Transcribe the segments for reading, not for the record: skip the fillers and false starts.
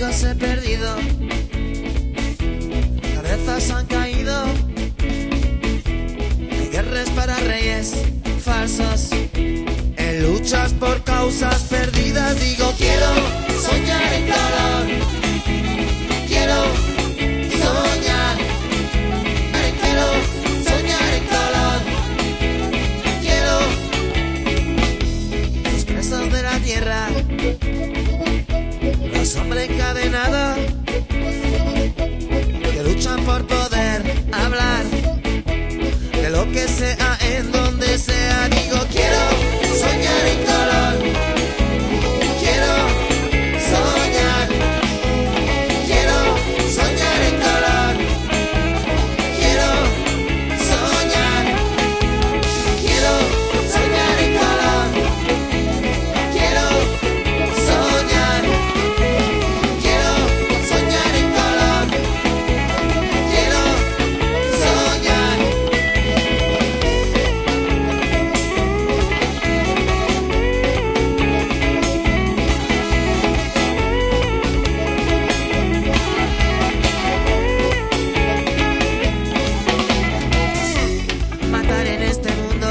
amigos he perdido, cabezas han caído, hay guerras para reyes falsos, en luchas por causas perdidas. Digo, quiero soñar en color, quiero soñar, quiero soñar en color, quiero los presos de la tierra, los hombres encadenados que luchan por poder hablar de lo que sea en donde sea. Digo, quiero soñar en color, quiero soñar, quiero soñar en color, quiero soñar, quiero soñar en color, quiero soñar, quiero soñar en color, quiero soñar. Matar en este mundo,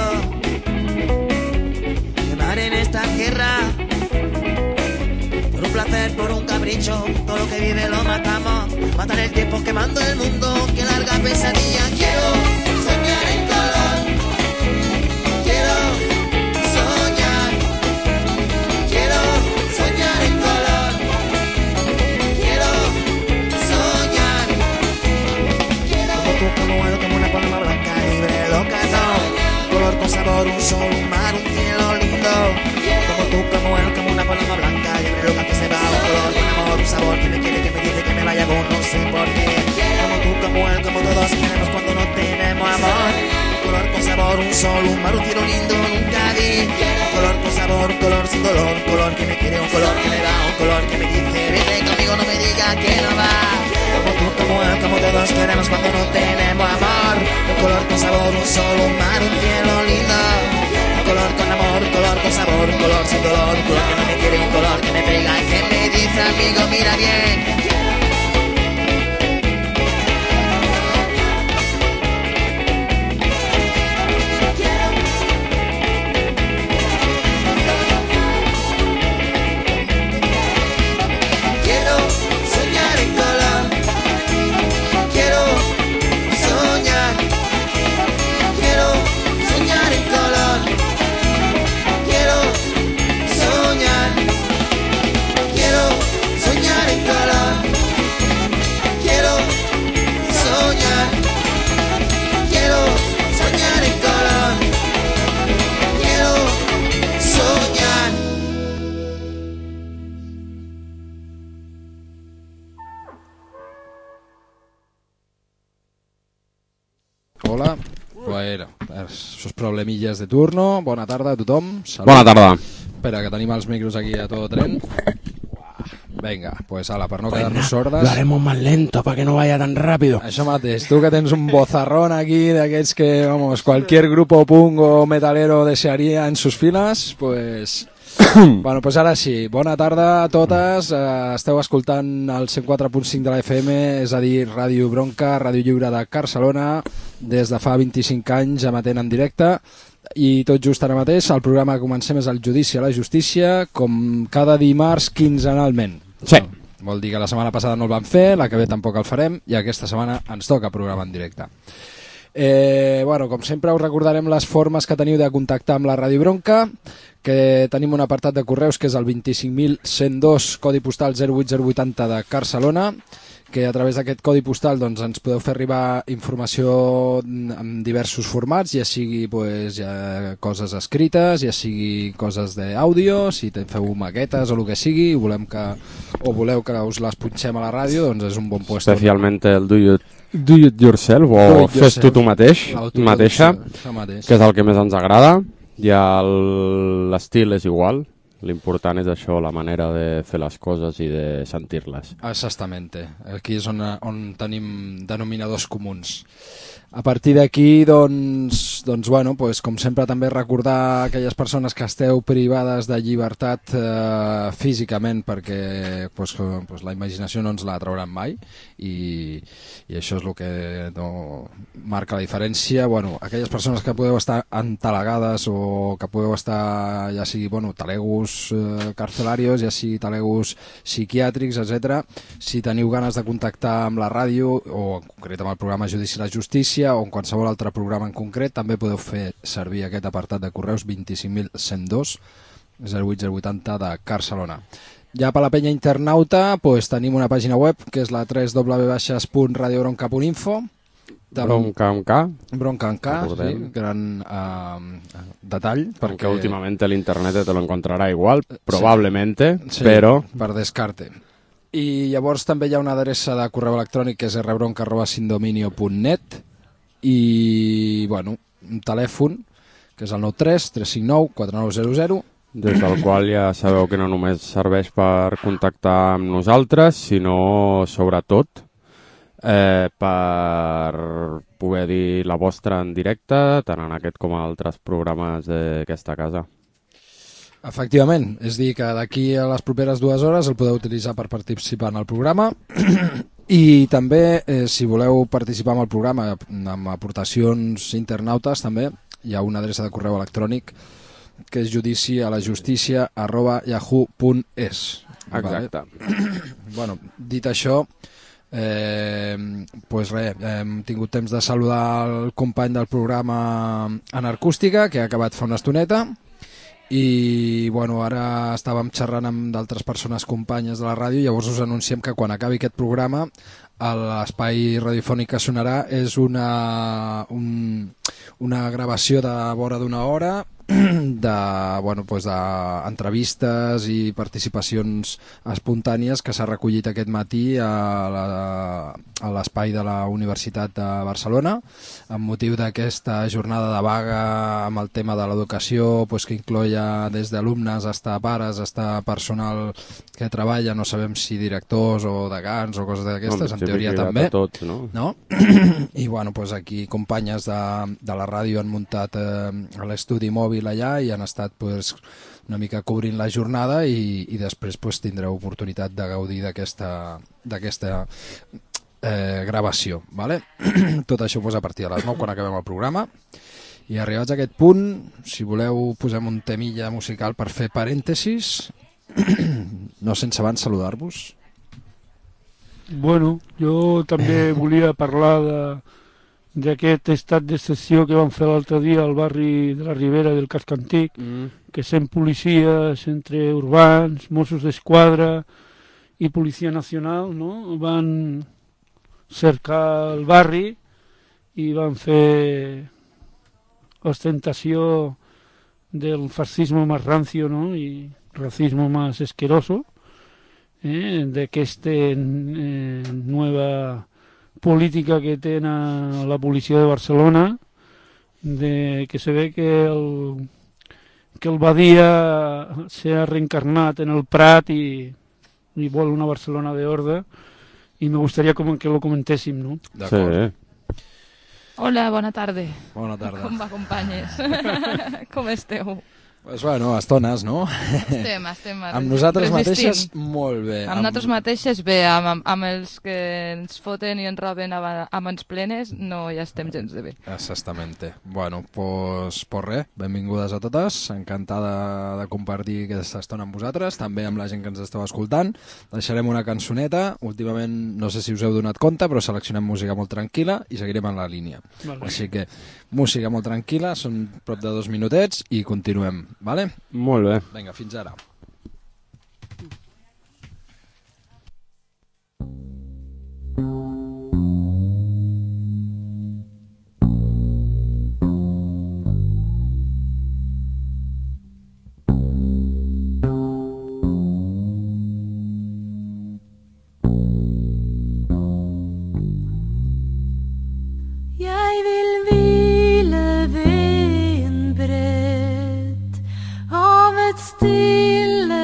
quemar en esta tierra, por un placer, por un capricho, todo lo que vive lo matamos. Matar el tiempo quemando el mundo, que larga pesadilla. Quiero soñar en color, quiero soñar, quiero soñar en color, quiero soñar, quiero. Como tú, como él, como una paloma blanca, libre, loca, no. Color con sabor, un sol, un mar, un cielo lindo. Como tú, como él, como una paloma blanca, libre, loca, que se va. Un color con amor, un sabor, que me quiere, que me dice que me vaya con no sé por qué. Como tú, como él, como todos queremos cuando no tenemos amor. Un color con sabor, un sol, un mar, un cielo lindo, nunca vi. Un color con sabor, un color sin dolor, un color que me quiere, un color que me da, un color que me dice, vete conmigo, no me diga que no va. Como tú, como él, como todos queremos cuando no tenemos amor. Un color con sabor, un sol, un mar, un cielo lindo. Un color con amor, un color con sabor, un color sin dolor, un color que no me quiere, un color que me pega y que me dice, amigo, mira bien. Quiero soñar en color, quiero soñar, quiero soñar en color, quiero soñar, quiero soñar en color, quiero soñar, quiero soñar en color, quiero soñar. Hola, bueno, esos problemilles de turno. Bona tarda a tothom. Salut. Bona tarda. Espera, que tenim els micros aquí a todo tren. Venga, pues ala, per no quedar-nos sordes. Lo haremos más lento para que no vaya tan rápido. Això mateix, tu que tens un bozarrón aquí d'aquests que, vamos, cualquier grupo punk o metalero desearía en sus filas, pues... Bueno, pues ara sí, bona tarda a totes, esteu escoltant el 104.5 de la FM, és a dir, Ràdio Bronca, Ràdio Lliure de Barcelona, des de fa 25 anys emetent en directe, i tot just ara mateix el programa que comencem és el Judici a la Justícia, com cada dimarts quinzenalment. Sí. Vol dir que la setmana passada no el vam fer, la que ve tampoc el farem, i aquesta setmana ens toca programa en directe. Bueno, com sempre us recordarem les formes que teniu de contactar amb la Ràdio Bronca, que tenim un apartat de correus que és el 25.102, codi postal 08080 de Barcelona, que a través d'aquest codi postal doncs, ens podeu fer arribar informació en diversos formats, ja sigui pues, ja coses escrites, ja sigui coses d'àudio, si feu maquetes o el que sigui, i voleu que us les punxem a la ràdio, doncs és un bon puesto. Especialment el do it yourself o fes tu mateix, mateixa, que és el que més ens agrada. Ja l'estil és igual, l'important és això, la manera de fer les coses i de sentir-les. Exactament, aquí és on tenim denominadors comuns. A partir d'aquí, doncs, bueno, pues, com sempre també recordar aquelles persones que esteu privades de llibertat físicament, perquè pues, la imaginació no ens la trauran mai i això és el que no marca la diferència. Bueno, aquelles persones que podeu estar entalegades o que podeu estar, ja sigui talegos carcelarios, ja sigui talegos psiquiàtrics, etc. Si teniu ganes de contactar amb la ràdio o en concret amb el programa Judici i la Justícia o en qualsevol altre programa en concret, també podeu fer servir aquest apartat de correus 25.102 08080 de Barcelona. Ja per la penya internauta pues, tenim una pàgina web que és la www.radiobronca.info. Bronca amb K. Bronca amb K, sí, gran detall. Perquè últimament l'internet te lo encontrarà igual, probablement, sí, però... per descarte. I llavors també hi ha una adreça de correu electrònic que és rbronca@sindominio.net i, bueno, un telèfon que és el 93 359 4900, des del qual ja sabeu que no només serveix per contactar amb nosaltres, sinó, sobretot, per poder dir la vostra en directe, tant en aquest com a altres programes d'aquesta casa. Efectivament, és dir, que d'aquí a les properes 2 hores el podeu utilitzar per participar en el programa i també, si voleu participar en el programa amb aportacions internautes, també hi ha una adreça de correu electrònic que és judicialayustícia@yahoo.es. Exacte. Bueno, dit això, pues res, hem tingut temps de saludar el company del programa Anarcústica, que ha acabat fa una estoneta, i bueno, ara estàvem xerrant amb d'altres persones companyes de la ràdio, llavors us anunciem que quan acabi aquest programa l'espai radiofònic que sonarà és una gravació de vora d'una hora d'entrevistes i participacions espontànies que s'ha recollit aquest matí a l'espai de la Universitat de Barcelona amb motiu d'aquesta jornada de vaga amb el tema de l'educació, que incloia des d'alumnes fins a pares, fins a personal que treballa, no sabem si directors o degans o coses d'aquestes, en teoria també, tots, no? I bueno, aquí companyes de la ràdio han muntat l'estudi mòbil allà i han estat una mica cobrint la jornada i després tindreu oportunitat de gaudir d'aquesta gravació, vale? Tot això a partir de les 9 quan acabem el programa. I arribats a aquest punt, si voleu posem un temilla musical per fer parèntesis, no sense abans saludar-vos. Bueno, jo també volia parlar d'aquest estat d'excepció que van fer l'altre dia al barri de la Ribera del Casc Antic, que 100 policies entre urbans, Mossos d'Esquadra i Policia Nacional, no? Van cercar el barri i van fer ostentació del fascismo más rancio, ¿no? Y racismo más asqueroso, d'aquesta nova política que té la policia de Barcelona, que se ve que el Badia s'ha reencarnat en el Prat i vol una Barcelona d'ordre, i me gustaría que lo comentéssim, no? D'acord. Sí. Hola, bona tarda. Bona tarda. Com va, companyes? Com esteu? Pues bueno, estones, no? Estem amb nosaltres mateixes, molt bé. Amb nosaltres mateixes, bé, amb els que ens foten i ens roben a mans plenes, no hi estem gens de bé. Exactament. Bueno, pues res, benvingudes a totes, encantada de compartir aquesta estona amb vosaltres, també amb la gent que ens esteu escoltant. Deixarem una cançoneta, últimament no sé si us heu donat compte, però seleccionem música molt tranquil·la i seguirem en la línia. Vale. Així que música molt tranquil·la, són prop de 2 minutets i continuem. Vale? Molt bé. Vinga, fins ara. Stille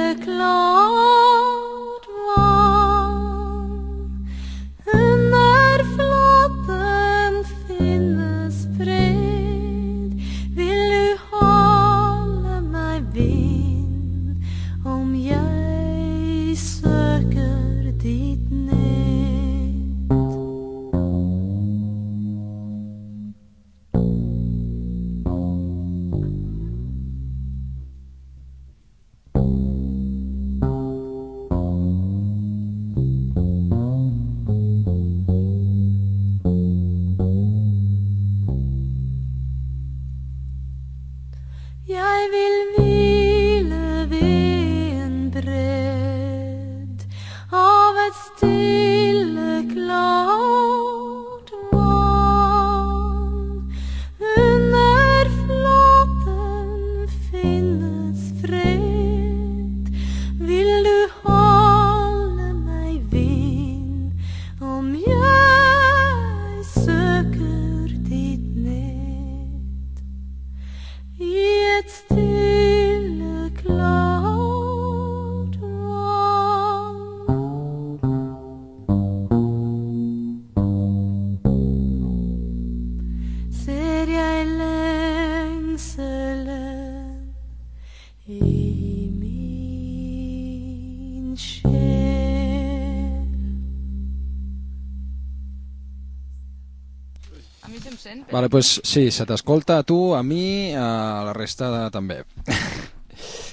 Vale, pues sí, se t'escolta a tu, a mi, a la resta també.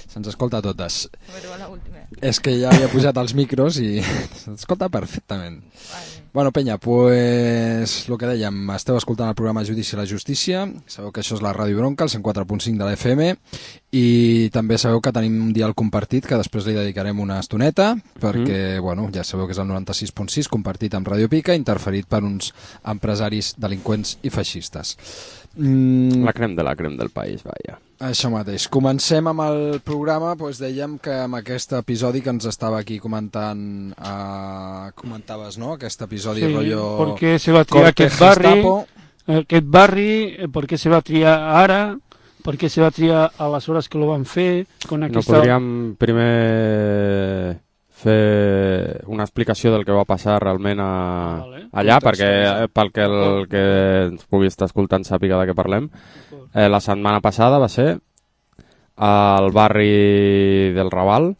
Se'ns escolta a totes. És que ja havia pujat els micros i s'escolta perfectament. Bueno, penya, pues el que dèiem, esteu escoltant el programa Judici a la Justícia, sabeu que això és la Ràdio Bronca, el 104.5 de la FM, i també sabeu que tenim un dial compartit que després li dedicarem una estoneta, perquè, bueno, ja sabeu que és el 96.6, compartit amb Ràdio Pica, interferit per uns empresaris delinqüents i feixistes. La crem del país, vaja. Això mateix. Comencem amb el programa, doncs dèiem que amb aquest episodi que ens estava aquí comentant, comentaves, no?, aquest episodi rollo... Sí, perquè se va triar aquest barri, perquè se va triar ara, perquè se va triar a les hores que lo van fer... No podríem primer fer una explicació del que va passar realment allà, perquè pel que el que ens pugui estar escoltant sàpiga de què parlem. La setmana passada va ser al barri del Raval,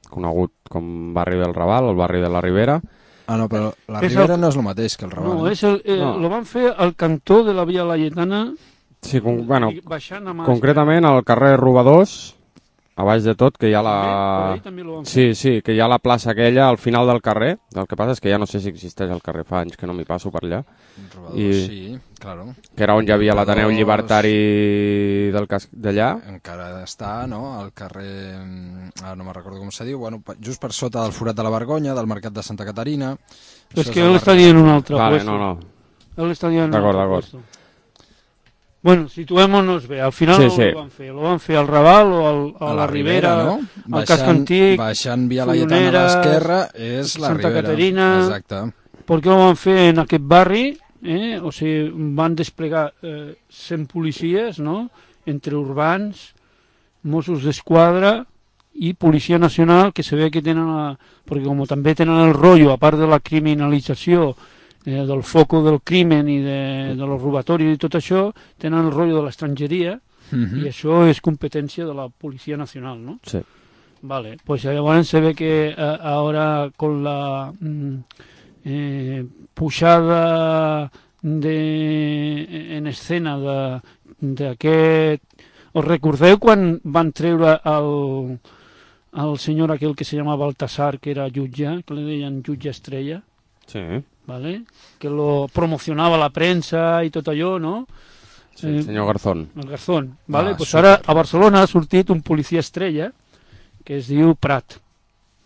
conegut com barri del Raval, el barri de la Ribera. Ah, no, però la Ribera no és el mateix que el Raval. No, lo van fer al cantó de la Via Laietana. Sí, bueno, concretament al carrer Robadors, a baix de tot, que hi ha la... Sí, que hi ha la plaça aquella al final del carrer. El que passa és que ja no sé si existeix el carrer, fa anys que no m'hi passo per allà. Sí, claro. Que era on hi havia l'Ateneu Llibertari d'allà. Encara està, no?, al carrer... Ara no me'n recordo com se diu. Bueno, just per sota del Forat de la Vergonya, del Mercat de Santa Caterina. És que ell està dient un altre puesto. Vale, no. Ell està dient un altre puesto. Bueno, situémonos bé, al final lo van fer al Raval o a la Ribera, no? Al casc antic, baixant Via Laietana a l'esquerra és la Santa Ribera. Caterina. Exacte. Per què ho van fer en aquest barri? O sigui, van desplegar 100 policies, no?, entre urbans, Mossos d'Esquadra i Policia Nacional, que se ve que tenen, perquè com també tenen el rotllo, a part de la criminalització, del foco del crimen i de los robatoris i tot això, tenen el rotllo de l'estrangeria, i això és competència de la Policia Nacional, ¿no? Sí. Vale, pues llavors se ve que ahora con la pujada en escena d'aquest... Us recordeu quan van treure el senyor aquell que se llamava Baltasar, que era jutge, que li deien jutge estrella? Sí. ¿Vale? Que lo promocionava la premsa i tot allò, no? Sí, el senyor Garzón. El Garzón, ¿vale? Pues ara a Barcelona ha sortit un policia estrella que es diu Prat.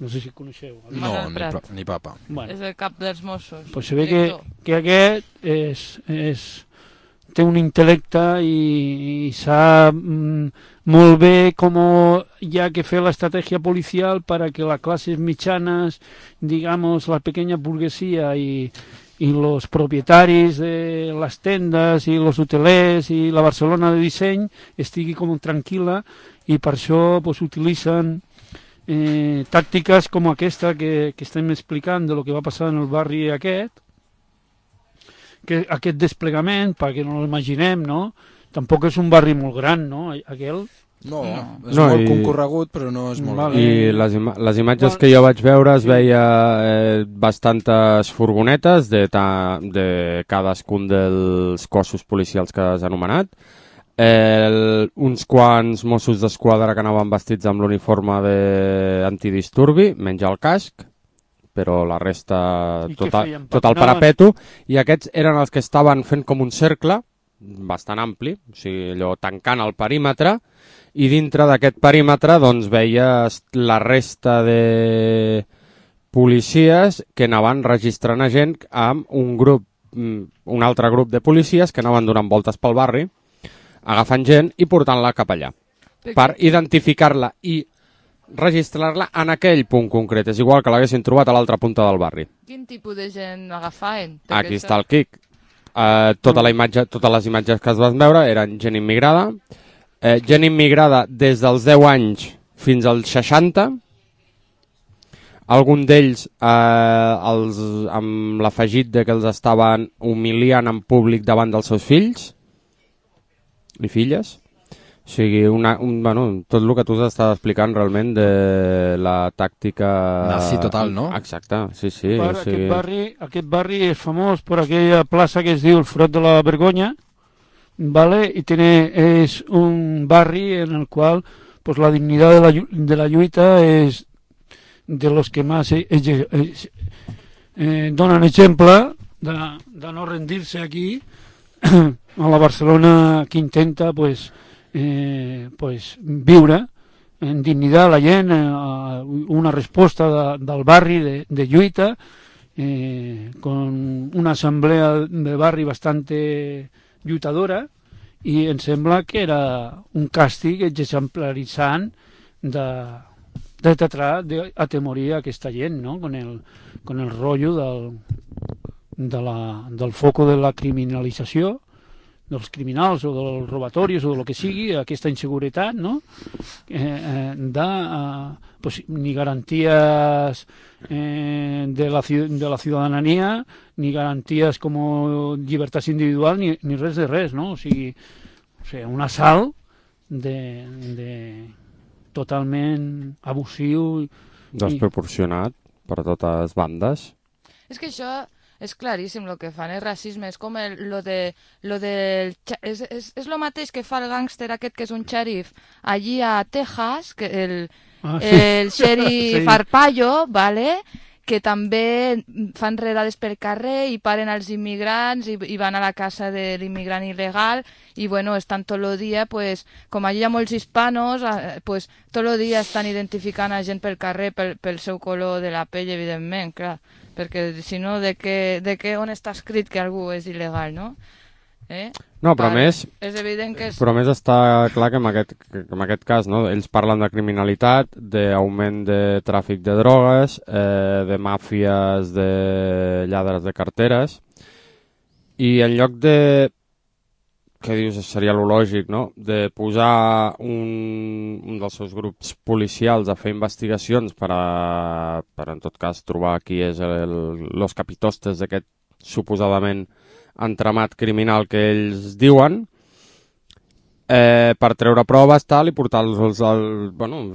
No sé si coneixeu. No, ni papa. Bueno. És el cap dels Mossos. Pues se ve que aquest té un intel·lecte i sap molt bé com hi ha que fer l'estratègia policial para que las clases mitjanas, digamos, la pequeña burguesía y los propietaris de las tendes i los hotelers i la Barcelona de disseny estigui com tranquil·la, i per això pues, utilitzen tàctiques com aquesta que estem explicant de lo que va passar en el barri aquest, que aquest desplegament, perquè no l'imaginem, no? Tampoc és un barri molt gran, no? Aquell. No, és molt concorregut, però no és molt... I les imatges que jo vaig veure es veia bastantes furgonetes de cadascun dels cossos policials que has anomenat, uns quants Mossos d'Esquadra que anaven vestits amb l'uniforme d'antidisturbi, menys el casc, però la resta tot el parapeto, i aquests eren els que estaven fent com un cercle bastant ampli, o sigui, allò tancant el perímetre, i dintre d'aquest perímetre doncs veies la resta de policies que anaven registrant a gent amb un altre grup de policies que anaven donant voltes pel barri, agafant gent i portant-la cap allà, per identificar-la i registrar-la en aquell punt concret. És igual que l'haguessin trobat a l'altra punta del barri. Quin tipus de gent agafaven? Aquí està el quic. Totes les imatges que es van veure eren gent immigrada, gent immigrada des dels 10 anys fins als 60, algun d'ells amb l'afegit de que els estaven humiliant en públic davant dels seus fills i filles. O sigui, tot el que tu estàs explicant realment de la tàctica... Nazi total, no? Exacte, sí. Aquest barri és famós per aquella plaça que es diu el Forot de la Vergonya, ¿vale? Y es un barri en el cual pues la dignidad de la lluita es de los que más donen exemple de no rendir-se aquí a la Barcelona que intenta pues viure en dignitat la gent, una resposta del barri de lluita, con una assemblea de barri bastante lluitadora, i em sembla que era un càstig exemplaritzant de tratar d'atemorir aquesta gent, no? Con el rotllo del foco de la criminalització dels criminals o dels robatoris o del que sigui, aquesta inseguretat, no? Ni garanties de la ciutadania, ni garanties com llibertats individuals, ni res de res, no? O sigui, un assalt totalment abusiu. Desproporcionat per totes bandes. És que això és claríssim, el que fan és racisme, és com és lo mateix que fa el gàngster aquest que és un xèrif allí a Texas, que el xèrif Arpaio, ¿vale? Que també fan redades per carrer i paren els immigrants i van a la casa de l'immigrant il·legal i bueno, estan tot el dia, pues, com allà hi ha molts hispanos, pues, tot el dia estan identificant a gent pel carrer pel seu color de la pell, evidentment, clar, perquè si no, on està escrit que algú és il·legal, no? No, però més està clar que en aquest cas, no? Ells parlen de criminalitat, d'augment de tràfic de drogues, de màfies, de lladres de carteres, i en lloc de, què dius, seria lo lògic, no? De posar un dels seus grups policials a fer investigacions per en tot cas trobar qui és los capitostes d'aquest suposadament entramat criminal que ells diuen, per treure proves tal i portar-los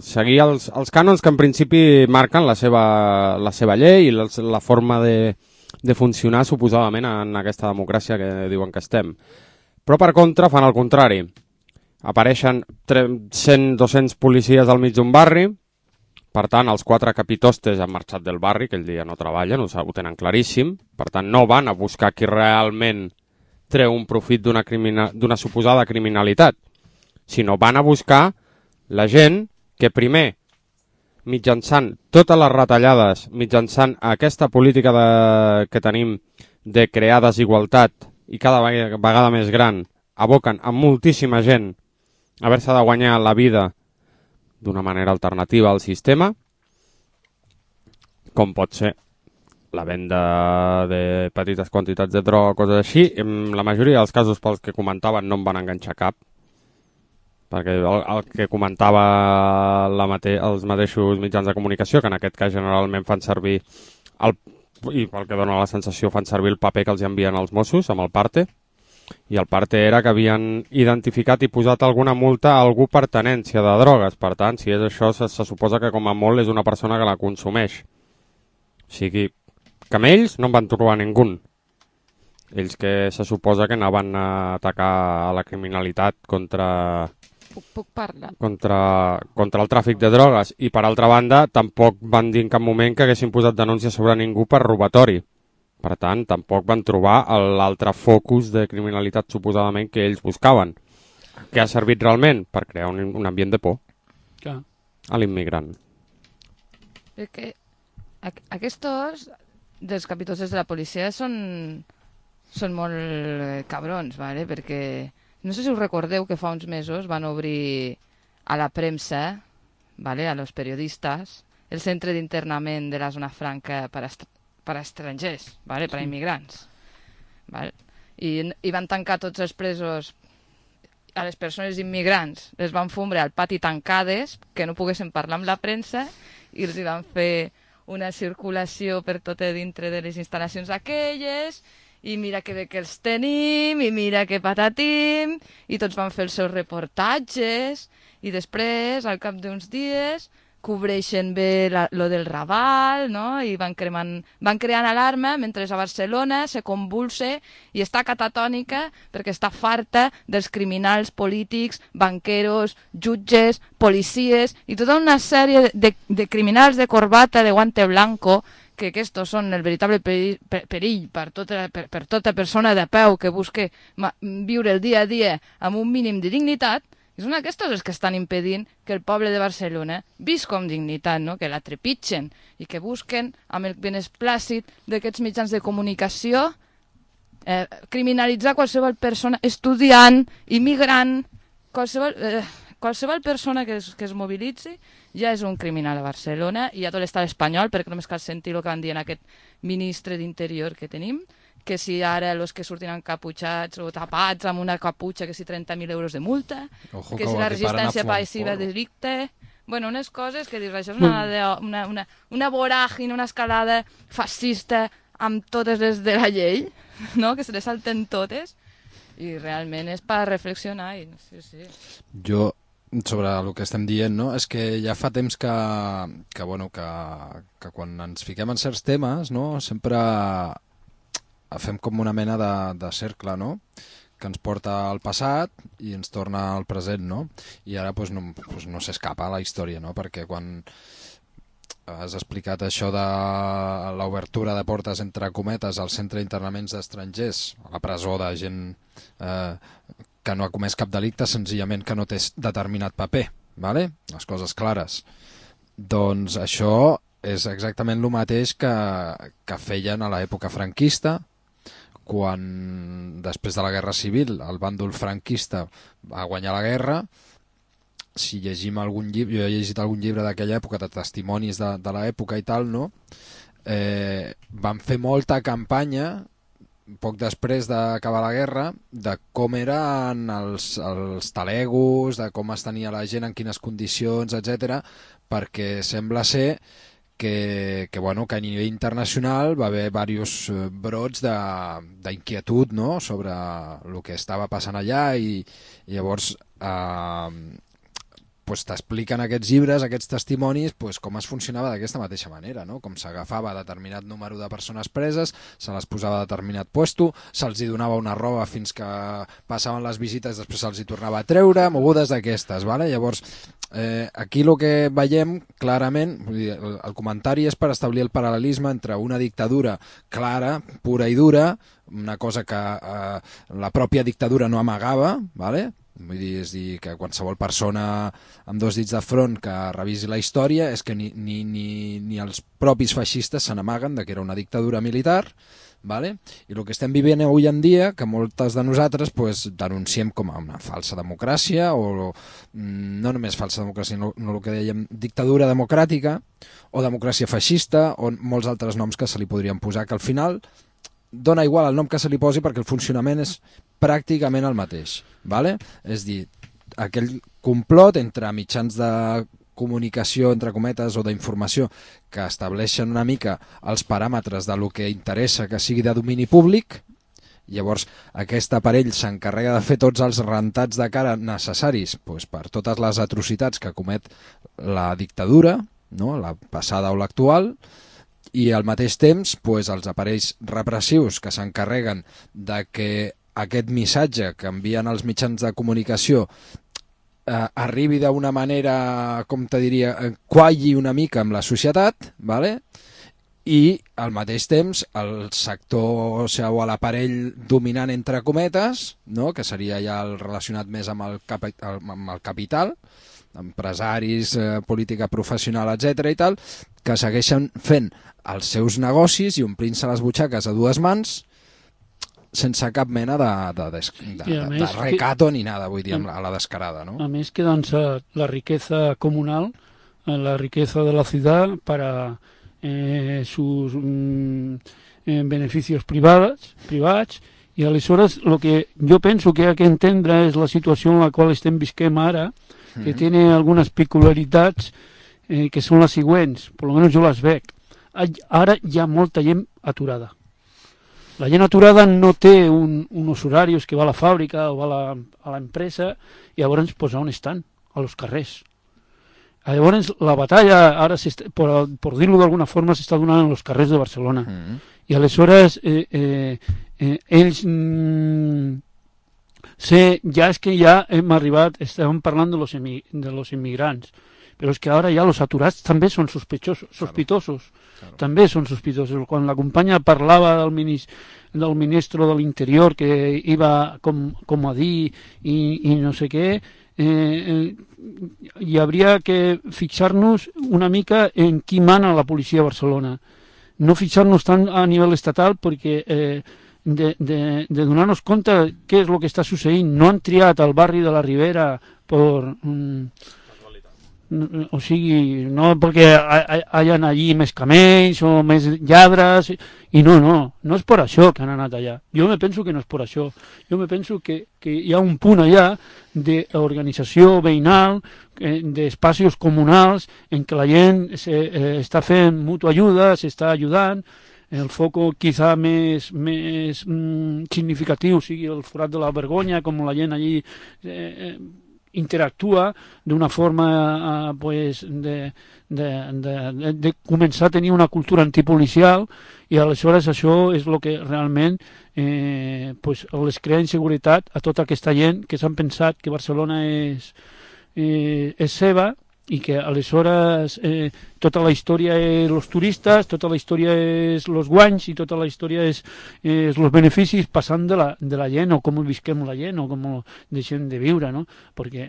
seguir els cànons que en principi marquen la seva llei i la forma de funcionar suposadament en aquesta democràcia que diuen que estem. Però per contra fan el contrari. Apareixen 100-200 policies al mig d'un barri. Per tant, els 4 capitostes han marxat del barri, aquell dia no treballen, ho tenen claríssim. Per tant, no van a buscar qui realment treu un profit d'una suposada criminalitat, sinó van a buscar la gent que primer, mitjançant totes les retallades, mitjançant aquesta política que tenim de crear desigualtat i cada vegada més gran, aboquen a moltíssima gent a haver-se de guanyar la vida d'una manera alternativa al sistema, com pot ser la venda de petites quantitats de droga, coses així. En la majoria dels casos pels que comentaven no em van enganxar cap, perquè el que comentava els mateixos mitjans de comunicació, que en aquest cas generalment fan servir, i pel que dona la sensació fan servir el paper que els envien els Mossos amb el parte, i el parte era que havien identificat i posat alguna multa a algú per tenència de drogues. Per tant, si és això, se suposa que com a molt és una persona que la consumeix. O sigui, que amb ells no en van trobar ningú. Ells que se suposa que anaven a atacar a la criminalitat contra el tràfic de drogues. I per altra banda, tampoc van dir en cap moment que haguessin posat denúncia sobre ningú per robatori. Per tant, tampoc van trobar l'altre focus de criminalitat suposadament que ells buscaven. Què ha servit realment? Per crear un ambient de por a l'immigrant. Perquè aquests dels capitosses de la policia són molt cabrons, ¿vale? Perquè no sé si us recordeu que fa uns mesos van obrir a la premsa, ¿vale? A los periodistas, el centre d'internament de la zona franca per a estrangers, ¿vale? Per a immigrants. ¿Vale? I van tancar tots els presos, a les persones immigrants, les van fumbre al pati tancades, que no poguessin parlar amb la premsa, i els van fer una circulació per tot dintre de les instal·lacions aquelles, i mira que bé que els tenim, i mira que patatim, i tots van fer els seus reportatges, i després, al cap d'uns dies, cobreixen bé lo del Raval, no? I van creant alarma mentre a Barcelona se convulse i està catatònica perquè està farta dels criminals polítics, banqueros, jutges, policies i tota una sèrie de criminals de corbata, de guante blanco, que aquests són el veritable perill per tota persona de peu que busque viure el dia a dia amb un mínim de dignitat. I són aquests els que estan impedint que el poble de Barcelona visca amb dignitat, no? Que la trepitgen i que busquen amb el benesplàcit d'aquests mitjans de comunicació criminalitzar qualsevol persona, estudiant, immigrant, qualsevol persona que es mobilitzi ja és un criminal a Barcelona i a tot l'estat espanyol, perquè només cal sentir el que van dir en aquest ministre d'Interior que tenim, que si ara els que surtin encaputxats o tapats amb una caputxa, que si 30.000 euros de multa, que si la resistència passiva de delicte... Bueno, unes coses que dius, això és una voràgine, una escalada fascista amb totes les de la llei, no? Que se les salten totes, i realment és per reflexionar. Sí. Jo, sobre el que estem dient, no? És que ja fa temps que quan ens fiquem en certs temes, no? Sempre fem com una mena de cercle, no? Que ens porta al passat i ens torna al present, no? I ara no s'escapa la història, no? Perquè quan has explicat això de l'obertura de portes, entre cometes, al centre d'internaments d'estrangers, a la presó de gent que no ha comès cap delicte, senzillament que no té determinat paper, ¿vale? Les coses clares. Doncs això és exactament el mateix que feien a l'època franquista, quan després de la Guerra Civil el bàndol franquista va guanyar la guerra. Si llegim algun llibre, jo he llegit algun llibre d'aquella època, de testimonis de l'època i tal, no? Van fer molta campanya, poc després d'acabar la guerra, de com eren els talegos, de com es tenia la gent, en quines condicions, etc, perquè sembla ser que a nivell internacional va haver diversos brots d'inquietud, no? Sobre el que estava passant allà, i llavors t'expliquen aquests llibres, aquests testimonis, com es funcionava d'aquesta mateixa manera, no? Com s'agafava determinat número de persones preses, se les posava a determinat puesto, se'ls donava una roba fins que passaven les visites, després se'ls tornava a treure, mogudes d'aquestes, ¿vale? Llavors, aquí el que veiem clarament, el comentari és per establir el paral·lelisme entre una dictadura clara, pura i dura, una cosa que la pròpia dictadura no amagava, ¿vale? Vull dir, és dir, que qualsevol persona amb dos dits de front que revisi la història és que ni els propis feixistes se n'amaguen que era una dictadura militar, ¿vale? I el que estem vivint avui en dia, que moltes de nosaltres denunciem com a una falsa democràcia, o no només falsa democràcia, no el que dèiem dictadura democràtica, o democràcia feixista, o molts altres noms que se li podrien posar, que al final dona igual el nom que se li posi perquè el funcionament és pràcticament el mateix, ¿vale? És dir, aquell complot entre mitjans de comunicació, entre cometes, o d'informació, que estableixen una mica els paràmetres de lo que interessa que sigui de domini públic, Llavors, aquest aparell s'encarrega de fer tots els rentats de cara necessaris per totes les atrocitats que comet la dictadura, no? La passada o l'actual, i al mateix temps els aparells repressius que s'encarreguen de que aquest missatge que envien els mitjans de comunicació arribi d'una manera, com te diria, qualli una mica amb la societat, ¿vale? I al mateix temps el sector, o l'aparell dominant entre cometes, no? Que seria ja el relacionat més amb el capital, empresaris, política professional, etc i tal, que segueixen fent els seus negocis i omplint-se les butxaques a dues mans sense cap mena de recato ni nada, vull dir, a la descarada, ¿no? A més que doncs la riqueza comunal, la riqueza de la ciudad para sus beneficios privats, i aleshores el que jo penso que hi ha que entendre és la situació en la qual estem visquem ara, que té algunes peculiaritats que són les següents, per almenys jo les veig. Ara hi ha molta gent aturada. La gent aturada no té uns horaris que va a la fàbrica o va a l'empresa, i llavors on estan? A los carrers. Llavors la batalla, ara per dir-ho d'alguna forma, s'està donant en els carrers de Barcelona. I aleshores ells ja és que ja hem arribat, estàvem parlant de los immigrants, però és que ara ja els aturats també són sospitosos. Claro. També són sospitosos. Quan la companya parlava del ministre de l'Interior que iba com a dir i no sé què, hi hauria que fixar-nos una mica en qui mana la policia de Barcelona. No fixar-nos tant a nivell estatal perquè de donar-nos compte què és el que està succeint. No han triat el barri de la Ribera o sigui, no perquè hi ha allí més camells o més lladres, i no és per això que han anat allà. Jo me penso que no és per això. Jo me penso que hi ha un punt allà d'organització veïnal, d'espacis comunals, en què la gent està fent mutua ajuda, s'està ajudant. El foco quizá més significatiu sigui el forat de la Vergonya, com la gent allí interactua d'una forma de començar a tenir una cultura antipolicial, i aleshores això és el que realment les crea inseguretat a tota aquesta gent que s'han pensat que Barcelona és seva, i que aleshores tota la història és els turistes, tota la història és els guanys i tota la història és els beneficis, passant de la gent, o com visquem la gent, o com deixem de viure, no? Perquè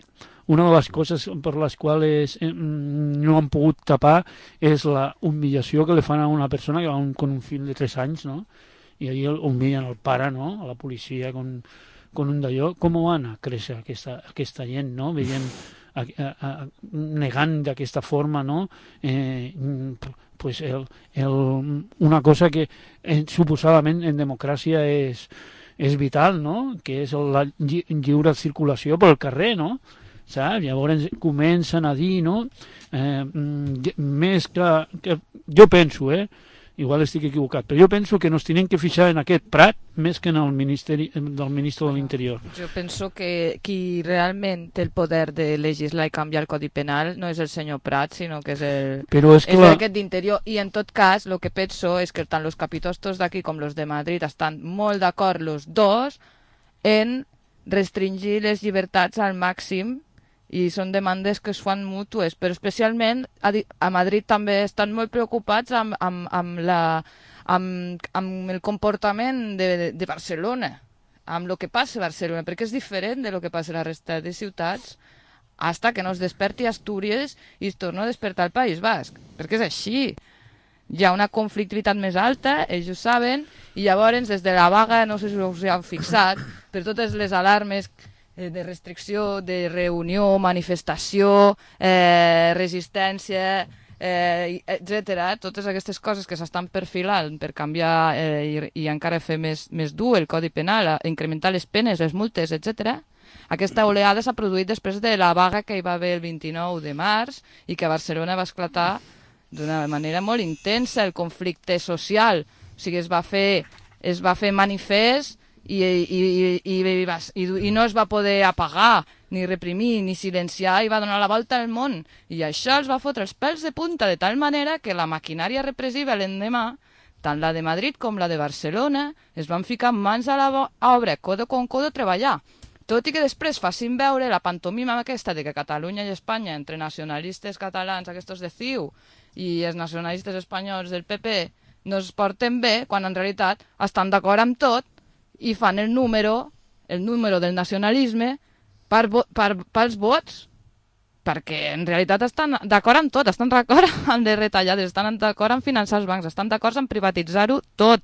una de les coses per les quals no han pogut tapar és la humillació que li fan a una persona que va con un fill de 3 anys, no? I allí humillen el pare, no? A la policia con un d'allò. Com van a créixer aquesta gent, no? Veiem negant d'aquesta forma, no? Una cosa que suposadament en democràcia és vital, no? Que és la lliure circulació pel carrer, no? Saps? Llavors comencen a dir, no? Més que jo penso, igual estic equivocat, però jo penso que nos tenen que fixar en aquest Prat més que en el ministre de l'Interior. Jo penso que qui realment té el poder de legislar i canviar el Codi Penal no és el senyor Prat, sinó que és aquest d'Interior. I en tot cas, el que penso és que tant els capitostos d'aquí com els de Madrid estan molt d'acord els dos en restringir les llibertats al màxim, i són demandes que es fan mútues, però especialment a Madrid també estan molt preocupats amb el comportament de Barcelona, amb el que passa a Barcelona, perquè és diferent de lo que passa a la resta de ciutats, hasta que no es desperti Astúries i es torna a despertar el País Basc, perquè és així. Hi ha una conflictivitat més alta, ells ho saben, i llavors des de la vaga, no sé si us heu fixat, per totes les alarmes de restricció, de reunió, manifestació, resistència, etc. Totes aquestes coses que s'estan perfilant per canviar i encara fer més dur el Codi Penal, incrementar les penes, les multes, etc. Aquesta oleada s'ha produït després de la vaga que hi va haver el 29 de març i que a Barcelona va esclatar d'una manera molt intensa el conflicte social. O sigui, es va fer manifest i no es va poder apagar, ni reprimir, ni silenciar, i va donar la volta al món. I això els va fotre els pèls de punta, de tal manera que la maquinària repressiva l'endemà, tant la de Madrid com la de Barcelona, es van ficar mans a l'obra, codo con codo, treballar. Tot i que després facin veure la pantomima aquesta de que Catalunya i Espanya, entre nacionalistes catalans, aquests de CiU, i els nacionalistes espanyols del PP, no es porten bé, quan en realitat estan d'acord amb tot i fan el número del nacionalisme pels vots, perquè en realitat estan d'acord amb tot, estan d'acord amb les retallades, estan d'acord amb finançar els bancs, estan d'acord amb privatitzar-ho tot.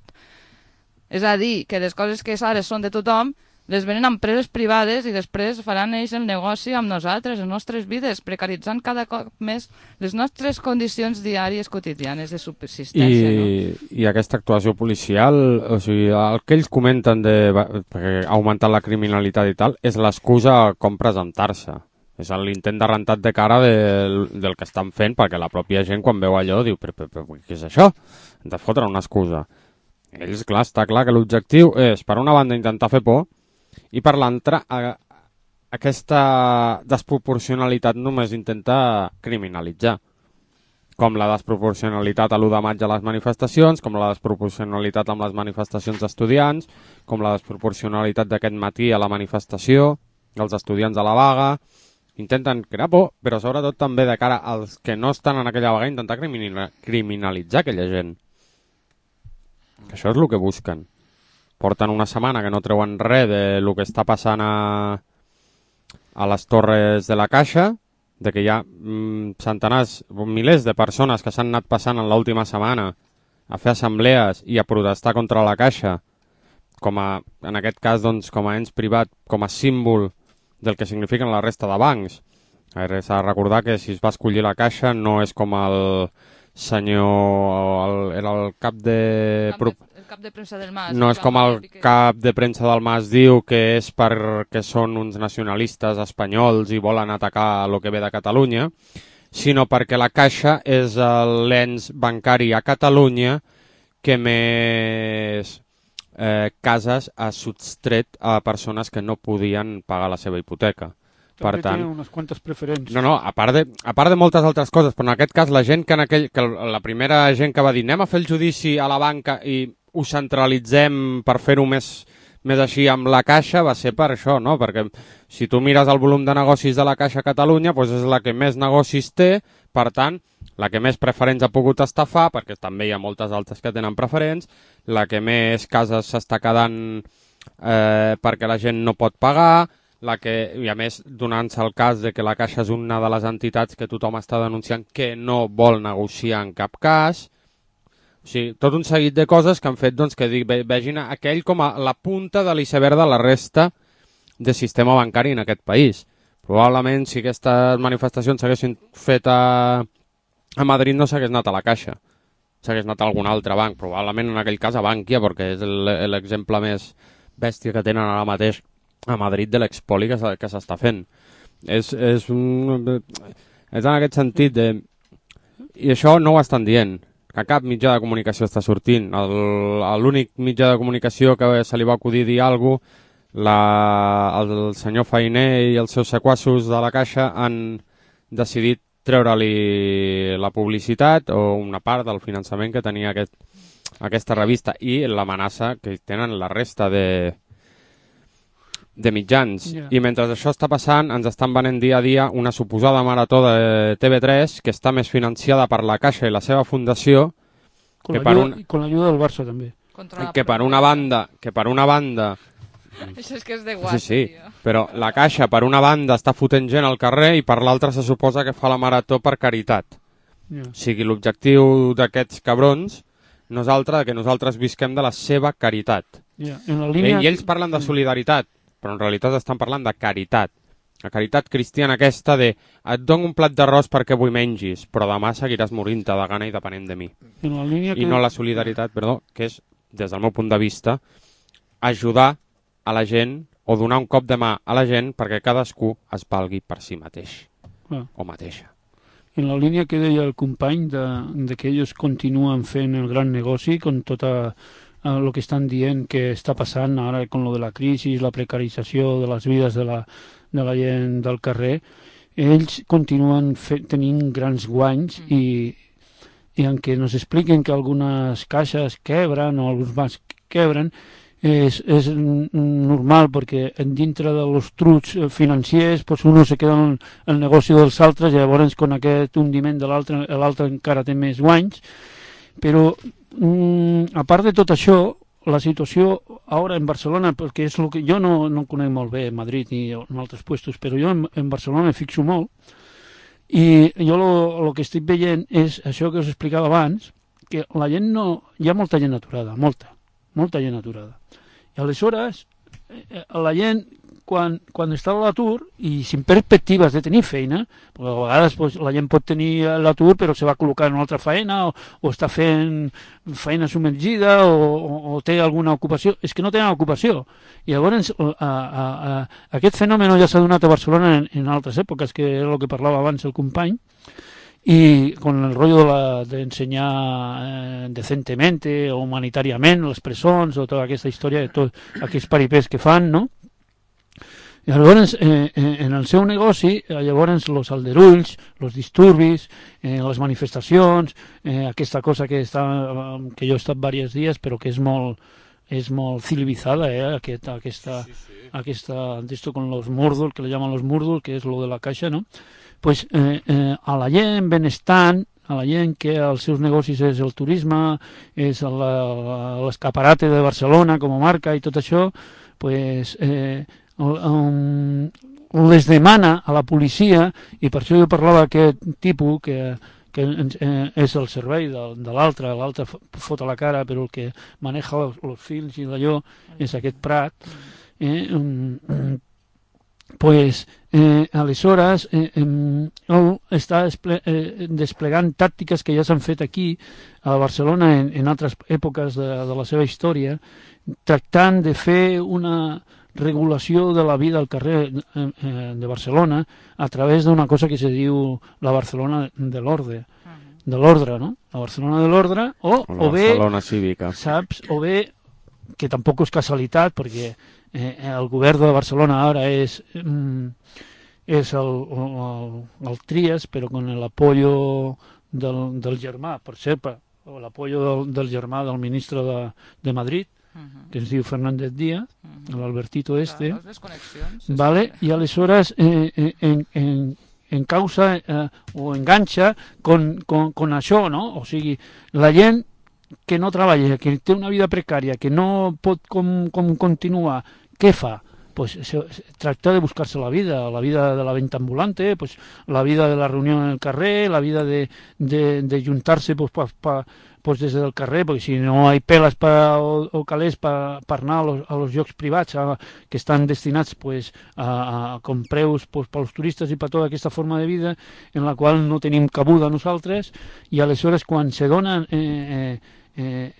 És a dir, que les coses que ara són de tothom les venen a empreses privades i després faran ells el negoci amb nosaltres, les nostres vides, precaritzant cada cop més les nostres condicions diàries quotidianes de subsistència. I aquesta actuació policial, o sigui, el que ells comenten perquè ha augmentat la criminalitat i tal, és l'excusa com presentar-se. És l'intent de rentat de cara del que estan fent, perquè la pròpia gent quan veu allò diu, però què és això? Hem de fotre una excusa. Ells, clar, està clar que l'objectiu és, per una banda, intentar fer por, i per l'altra, aquesta desproporcionalitat només intenta criminalitzar. Com la desproporcionalitat a l'1 de maig a les manifestacions, com la desproporcionalitat amb les manifestacions d'estudiants, com la desproporcionalitat d'aquest matí a la manifestació, dels estudiants a la vaga. Intenten crear por, però sobretot també de cara als que no estan en aquella vaga, intentar criminalitzar aquella gent. Que això és el que busquen. Porten una setmana que no treuen res del que està passant a les torres de la Caixa, de que hi ha centenars, milers de persones que s'han anat passant en l'última setmana a fer assemblees i a protestar contra la Caixa, en aquest cas doncs, com a ens privat, com a símbol del que signifiquen la resta de bancs. S'ha de recordar que si es va escollir la Caixa no és com el senyor... era el cap de... El cap de premsa del Mas. No és com el cap de premsa del Mas diu que és perquè són uns nacionalistes espanyols i volen atacar el que ve de Catalunya, sinó perquè la Caixa és l'ens bancari a Catalunya que més cases ha sostret a persones que no podien pagar la seva hipoteca. Per tant, té unes quantes preferències. No, a part de moltes altres coses, però en aquest cas la gent que la primera gent que va dir anem a fer el judici a la banca i ho centralitzem per fer-ho més així amb la Caixa, va ser per això, no? Perquè si tu mires el volum de negocis de la Caixa a Catalunya, doncs és la que més negocis té, per tant, la que més preferents ha pogut estafar, perquè també hi ha moltes altres que tenen preferents, la que més cases s'està quedant perquè la gent no pot pagar, i a més donant-se el cas de que la Caixa és una de les entitats que tothom està denunciant que no vol negociar en cap cas. O sigui, tot un seguit de coses que han fet doncs, que vegin aquell com a la punta de l'iceberg de la resta del sistema bancari en aquest país. Probablement si aquestes manifestacions s'haguessin fet a Madrid no s'hagués anat a la Caixa, s'hagués anat a algun altre banc, probablement en aquell cas a Bankia, perquè és l'exemple més bèstia que tenen ara mateix a Madrid de l'expoli que s'està fent. És en aquest sentit i això no ho estan dient, que cap mitjà de comunicació està sortint. L'únic mitjà de comunicació que se li va acudir dir alguna cosa, el senyor Fainé i els seus sequassos de la Caixa han decidit treure-li la publicitat o una part del finançament que tenia aquesta revista i l'amenaça que tenen la resta de mitjans. I mentre això està passant ens estan venent dia a dia una suposada marató de TV3 que està més financiada per la Caixa i la seva fundació con l'ajuda del Barça també, que per una banda això és que és de guai, sí, però la Caixa per una banda està fotent gent al carrer i per l'altra se suposa que fa la marató per caritat. O sigui, l'objectiu d'aquests cabrons no és altre que nosaltres visquem de la seva caritat. I ells parlen de solidaritat, però en realitat estan parlant de caritat. La caritat cristiana aquesta de et dono un plat d'arròs perquè avui mengis, però demà seguiràs morint-te de gana i depenent de mi. I no la solidaritat, que és, des del meu punt de vista, ajudar a la gent o donar un cop de mà a la gent perquè cadascú es valgui per si mateix o mateixa. En la línia que deia el company de que ells continuen fent el gran negoci con tota lo que estan dient que està passant ara con lo de la crisi, la precarització de les vides de la gent del carrer, ells continuen tenint grans guanys i en què nos expliquen que algunes caixes quebren o alguns bancs quebren, és normal perquè dintre dels trucs financiers pues uno se queda en el negoci dels altres i llavors con aquest hundiment de l'altre encara té més guanys, però a part de tot això, la situació ara en Barcelona, perquè és el que jo no conec molt bé Madrid ni en altres puestos, però jo en Barcelona me fixo molt i jo el que estic veient és això que us explicava abans, que la gent hi ha molta gent aturada, molta gent aturada. I aleshores la gent quan està a l'atur i sin perspectives de tenir feina, perquè a vegades pues, la gent pot tenir l'atur però se va col·locar en una altra feina o està fent feina submergida o té alguna ocupació, és que no tenen ocupació. I llavors aquest fenomen ja s'ha donat a Barcelona en altres èpoques, que és el que parlava abans el company, y con el rollo de ensenyar decentemente o humanitàriament les presons o tota aquesta història de tots aquests paripés que fan, no? I llavors, en el seu negoci, llavors, els aldarulls, els disturbis, les manifestacions, aquesta cosa que jo he estat diversos dies, però que és molt civilitzada, aquesta, d'esto con los murdos, que le llaman los murdos, que és lo de la caixa, no? Pues a la gent benestant, a la gent que els seus negocis és el turisme, és l'escaparate de Barcelona com a marca i tot això, pues les demana a la policia, i per això jo parlava d'aquest tipus que és el servei de l'altre fot a la cara, però el que maneja els fils i d'allò és aquest Prat, pues aleshores està desplegant tàctiques que ja s'han fet aquí a Barcelona en altres èpoques de la seva història, tractant de fer una regulació de la vida al carrer de Barcelona a través d'una cosa que se diu la Barcelona de l'ordre, no? La Barcelona de l'ordre o bé Barcelona cívica, saps? O bé, que tampoc és casualitat perquè el govern de Barcelona ara és el Trias, però con el apoyo del germà, per cert, l'apoyo del germà del ministre de Madrid, que es diu Fernández Díaz, l'Albertito ¿vale? I aleshores en causa o enganxa con això, no? O sigui, la gent que no treballa, que té una vida precària, que no pot continuar, què fa? Pues tracta de buscar-se la vida de la venta ambulante, pues la vida de la reunió en el carrer, la vida de juntar-se pues des del carrer, perquè si no hi ha peles o calés per anar a los llocs privats que estan destinats pues, con preus pues, pels turistes i per tota aquesta forma de vida en la qual no tenim cabuda nosaltres, i aleshores quan se donen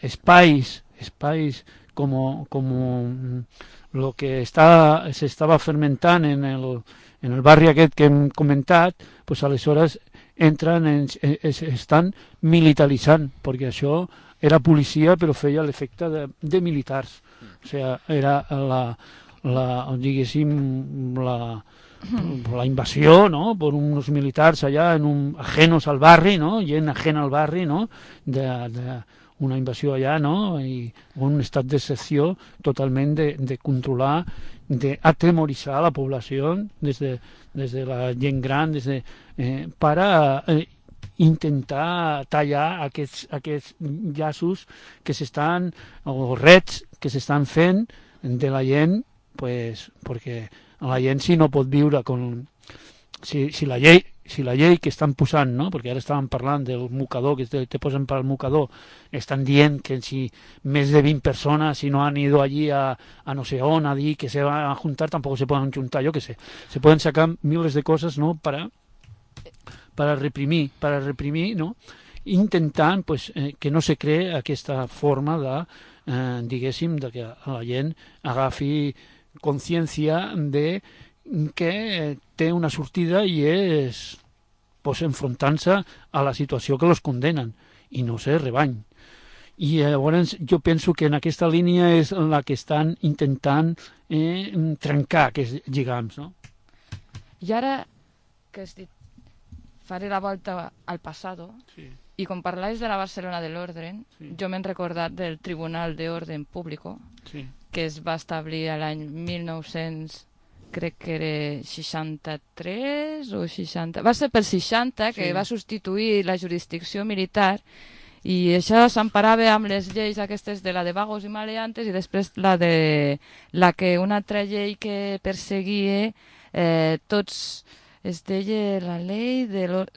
espais com lo que s'estava fermentant en el barri aquest que hem comentat, pues aleshores estan militaritzant, perquè això era policia però feia l'efecte de militars. O sigui, era diguéssim, la invasió, no?, per uns militars allà ajenos al barri, no?, gent ajena al barri, no?, una invasió allà, no?, i un estat d'excepció totalment de controlar, d'atemoritzar la població des de la gent gran, per intentar tallar aquests llaços que s'estan, o rets que s'estan fent de la gent, pues, perquè la gent si no pot viure si la llei que estan posant, no? Perquè ara estàvem parlant del mocador, que te posen per al mocador, estan dient que si més de 20 persones, si no han ido allí a no sé on, a dir que se van a juntar, tampoco se pueden juntar, yo que sé. Se pueden sacar miles de cosas, ¿no?, para reprimir, ¿no?, intentant pues, que no se cree aquesta forma de, diguéssim, de que la gent agafi consciència de que té una sortida i és pues, enfrontant-se a la situació que los condenen i no sé, rebany. I llavors jo penso que en aquesta línia és la que estan intentant trencar aquests lligams, no? I ara que has dit faré la volta al passado, sí. I com parlais de la Barcelona de l'Orden, sí. Jo m'he recordat del Tribunal de Orden Público, sí. Que es va establir l'any 1900, crec que era 63 o 60... Va ser per 60, que sí. Va substituir la jurisdicció militar, i això s'emparava amb les lleis aquestes de la de vagos i maleantes, i després la que una altra llei que perseguia tots... Es deia la llei era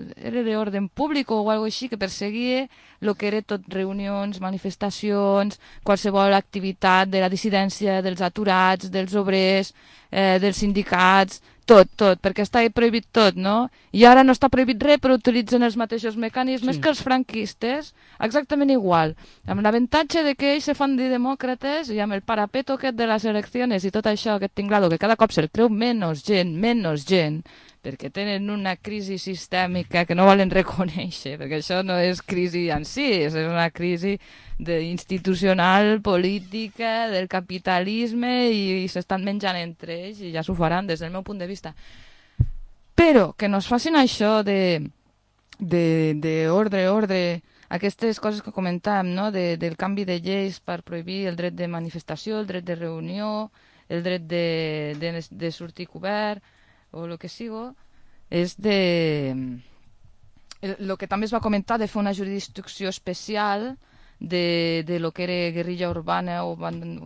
d'ordre públic o alguna cosa així, que perseguia el que era tot reunions, manifestacions, qualsevol activitat de la dissidència, dels aturats, dels obrers, dels sindicats, tot, perquè estava prohibit tot, no? I ara no està prohibit res, però utilitzen els mateixos mecanismes que els franquistes, exactament igual, amb l'avantatge de que ells se fan de demòcrates i amb el parapeto aquest de les eleccions i tot això, aquest tinglado, que cada cop se'l creu menys gent, perquè tenen una crisi sistèmica que no volen reconèixer, perquè això no és crisi en si, és una crisi institucional, política, del capitalisme, i s'estan menjant entre ells, i ja s'ho faran des del meu punt de vista. Però que no es facin això d'ordre, aquestes coses que comentàvem, no? Del canvi de lleis per prohibir el dret de manifestació, el dret de reunió, el dret de sortir cobert, o el que sigo, és el que també es va comentar de fer una jurisdicció especial de lo que era guerrilla urbana o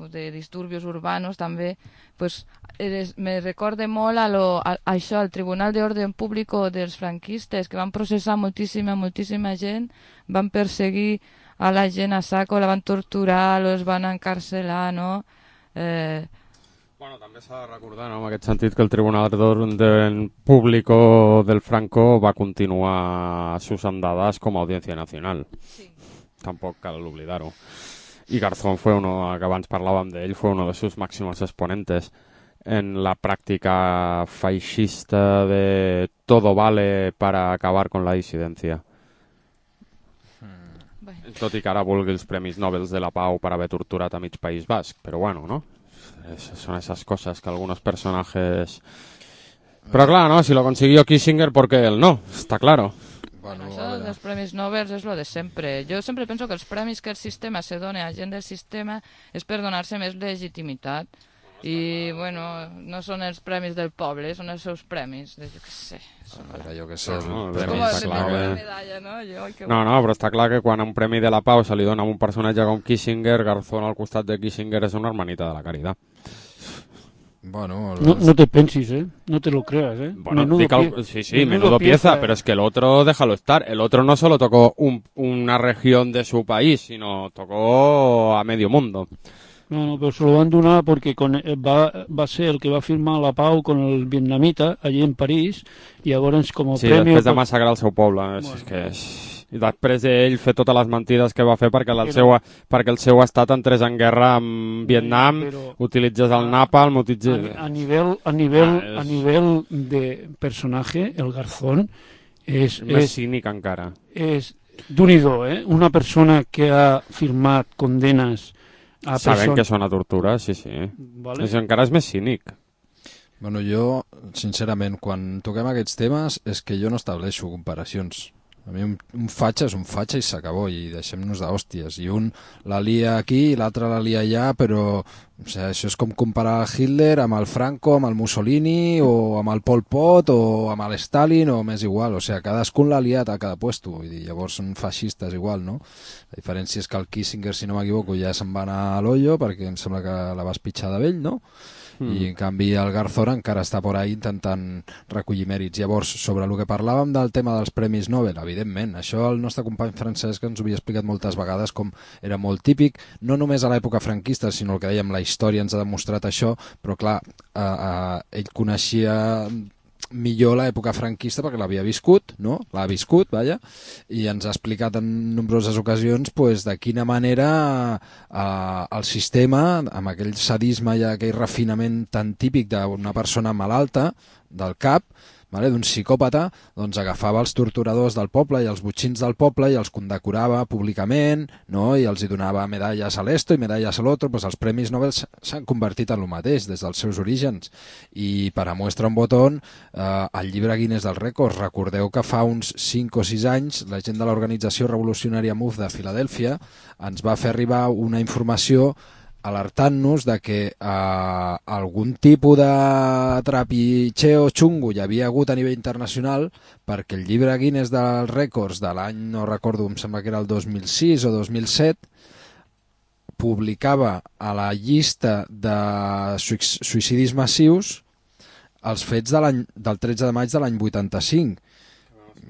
de disturbios urbanos també, pues, me recorda molt a això, al Tribunal d'Ordre Públic dels franquistes, que van processar moltíssima gent, van perseguir a la gent a saco, la van torturar, los van encarcelar, no? Bueno, també s'ha de recordar, no, en aquest sentit, que el Tribunal d'Orden Públic del Franco va continuar sus andadas como audiencia nacional. Sí. Tampoc cal oblidar-ho. Y Garzón fue uno, que abans parlàvem d'ell, fue uno de sus máximos exponentes en la práctica feixista de todo vale para acabar con la disidencia. Tot i que ara vulgui els Premis Nobel de la Pau per haver torturat a mig País Basc, però bueno, no? Son esas cosas que algunos personajes... Pero claro, ¿no? Si lo consiguió Kissinger, ¿por qué él no? Está claro. Bueno, això dels Premis Nobel és lo de sempre. Jo sempre penso que els premis que el sistema se dona a gent del sistema és per donar-se més legitimitat. I, bueno, no són els premis del poble, són els seus premis. Jo què sé. Jo què sé. No, però està clar que quan un premi de la Pau se li dona a un personatge com Kissinger, Garzón al costat de Kissinger és una hermanita de la caridad. Bueno, no te pensis, no te lo creas, Bueno, menudo pieza, pero es que el otro, déjalo estar, el otro no solo tocó una región de su país, sino tocó a medio mundo. No, pero se lo van a donar porque va a ser el que va a firmar la pau con el vietnamita allí en París, i llavors com a sí, premi... Sí, després de massacrar el seu poble. Bueno. És que i després ell fer totes les mentides que va fer perquè el seu estat entrés en guerra amb Vietnam, utilitzés el napalm, a nivell de personatge, el Garzón és més cínic encara. És d'un-i-do, una persona que ha firmat condenes a sabent que són a tortura, sí. Vale. Encara és més cínic. Bueno, jo, sincerament, quan toquem aquests temes és que jo no estableixo comparacions. A mi un fatxa és un fatxa i s'acabó, i deixem-nos d'hòsties. I un la lia aquí i l'altre la lia allà, però això és com comparar Hitler amb el Franco, amb el Mussolini, o amb el Pol Pot, o amb l'Stalin, o m'és igual. O sigui, cadascun l'ha liat a cada puesto. Vull dir, llavors són feixistes igual, no? La diferència és que el Kissinger, si no m'equivoco, ja se'n va anar a l'ollo, perquè em sembla que la vas pitjar de vell, no? I en canvi el Garzón encara està por ahí intentant recollir mèrits. Llavors, sobre el que parlàvem del tema dels Premis Nobel, evidentment, això el nostre company Francesc ens ho havia explicat moltes vegades, com era molt típic, no només a l'època franquista, sinó el que dèiem, la història ens ha demostrat això, però clar, ell coneixia millor l'època franquista perquè l'havia viscut, no? L'ha viscut, vaja, i ens ha explicat en nombroses ocasions pues, de quina manera el sistema, amb aquell sadisme i aquell refinament tan típic d'una persona malalta del cap, d'un psicòpata, doncs agafava els torturadors del poble i els botxins del poble i els condecorava públicament, no? I els hi donava medalles a l'esto i medalles a l'altre. Pues els premis Nobel s'han convertit en el mateix des dels seus orígens. I per a muestra un botó, el llibre Guinness dels Rècords, recordeu que fa uns 5 o 6 anys la gent de l'organització revolucionària MOVE de Filadèlfia ens va fer arribar una informació alertant-nos de que algun tipus de trapitxeo xungo hi havia hagut a nivell internacional, perquè el llibre Guinness dels Rècords de l'any, no recordo, em sembla que era el 2006 o 2007, publicava a la llista de suïcidis massius els fets del 13 de maig de l'any 85.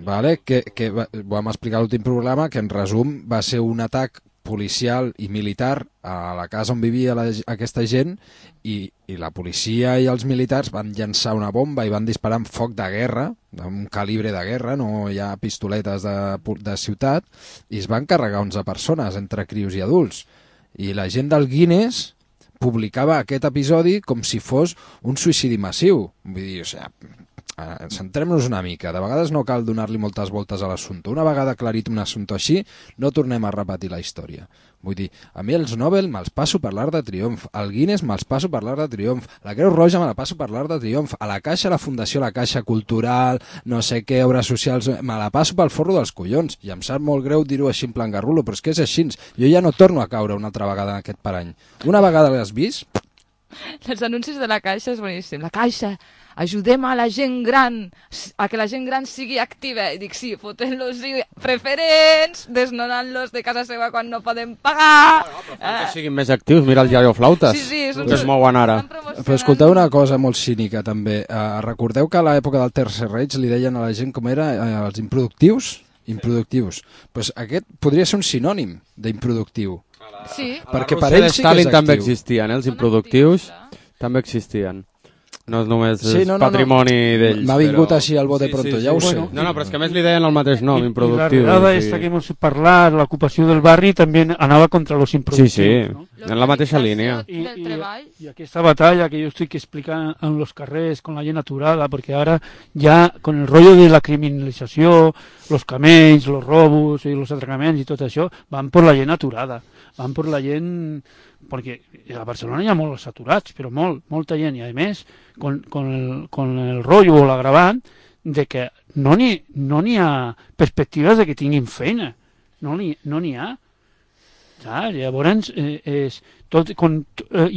Vale? Que vam explicar a l'últim programa que en resum va ser un atac policial i militar a la casa on vivia aquesta gent i la policia i els militars van llançar una bomba i van disparar amb foc de guerra, un calibre de guerra, no hi ha pistoletes de ciutat, i es van carregar 11 persones entre crios i adults. I la gent del Guinness publicava aquest episodi com si fos un suïcidi massiu. Vull dir, centrem-nos una mica. De vegades no cal donar-li moltes voltes a l'assumpte. Una vegada aclarit un assumpte així, no tornem a repetir la història. Vull dir, a mi els Nobel me'ls passo per l'Arc de Triomf, el Guinness me'ls passo per l'Arc de Triomf, la Creu Roja me la passo per l'Arc de Triomf, a la Caixa, la Fundació, la Caixa Cultural, no sé què, obres socials, me la passo pel forro dels collons. I em sap molt greu dir-ho així en plan garrulo, però és que és així. Jo ja no torno a caure una altra vegada en aquest parany. Una vegada l'has vist? Els anuncis de la Caixa és boníssim. La Caixa, ajudem a la gent gran, a que la gent gran sigui activa. I dic, sí, fotent-los preferents, desnonant-los de casa seva quan no poden pagar. Que siguin més actius, mira el Iaio Flautes, que es mouen ara. Però escolteu una cosa molt cínica també. Recordeu que a l'època del Tercer Reich li deien a la gent com era els improductius? Improductius. Pues aquest podria ser un sinònim d'improductiu. Sí. Perquè per ells sí que és actiu. També existien, els improductius també existien. No és només patrimoni d'ells. M'ha vingut així al bote pronto, ja ho sé. No, però és que a més li deien el mateix nom, improductiu. I la redada esta que hemos parlat, l'ocupació del barri, també anava contra los improductius. Sí, en la mateixa línia. I aquesta batalla que jo estic explicant en los carrers, con la gent aturada, perquè ara ja, con el rollo de la criminalització, los camells, los robos i los atracaments i tot això, van per la gent aturada, van per la gent... perquè a Barcelona hi ha molts aturats, però molta gent, i a més con el rotllo o l'agravant de que no n'hi ha perspectives de que tinguin feina, no n'hi ha. Llavors i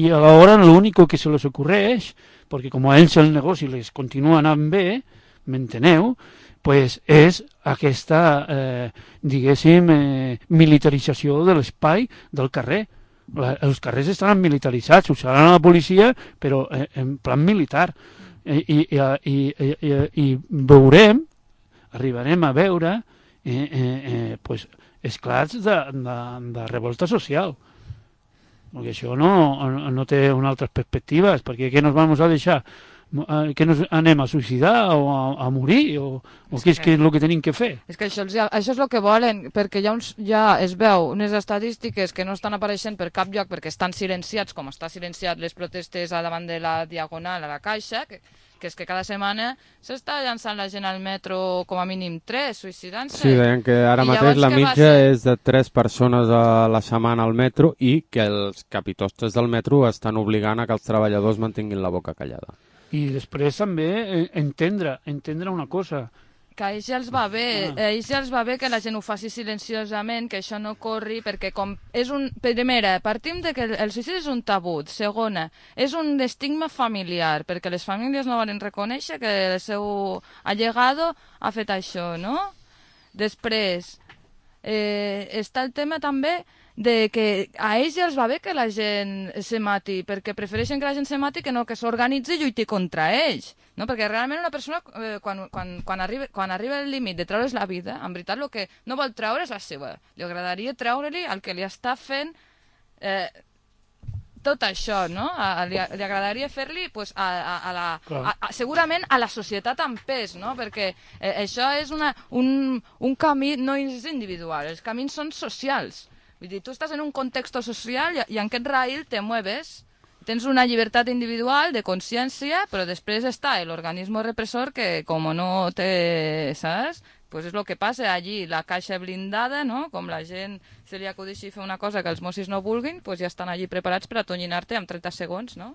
a l'hora l'únic que se les ocorreix, perquè com a ells el negoci les continua anant bé, m'enteneu, pues és aquesta diguéssim militarització de l'espai del carrer. Els carrers estaran militaritzats, usaran la policia, però en plan militar. I veurem, arribarem a veure esclats de revolta social. Perquè això no té unes altres perspectives, perquè què nos vamos a deixar? Que nos anem a suïcidar o a morir o què és el que tenim que fer? És que això és el que volen, perquè ja es veu unes estadístiques que no estan apareixent per cap lloc perquè estan silenciats, com està silenciat les protestes davant de la Diagonal a la Caixa, que és que cada setmana s'està llançant la gent al metro com a mínim 3, suïcidant-se. Sí, deien que ara mateix la mitja és de 3 persones a la setmana al metro i que els capitostes del metro estan obligant a que els treballadors mantinguin la boca callada. I després també entendre una cosa. Que a ells ja els va bé, que la gent ho faci silenciosament, que això no corri, perquè com és primera, partim de que el suïcidi és un tabú, segona, és un estigma familiar, perquè les famílies no volen reconèixer que el seu allegado ha fet això, no? Després, està el tema també de que a ells ja els va bé que la gent se mati, perquè prefereixen que la gent se mati que no que s'organitzi i lluiti contra ells, no? Perquè realment una persona quan arriba el límit de treure's la vida, en veritat el que no vol treure és la seva, li agradaria treure-li el que li està fent tot això, no? Li agradaria fer-li pues, segurament a la societat en pes, no? Perquè això és un camí, no és individual, els camins són socials. Vull dir, tu estàs en un context social i en aquest raïl te mueves tens una llibertat individual de consciència, però després està l'organisme repressor que, com no té, saps? Pues és el que passa allí, la caixa blindada, no? Com la gent se li acudeixi fer una cosa que els Mossos no vulguin, pues ja estan allí preparats per atonyinar-te en 30 segons, no?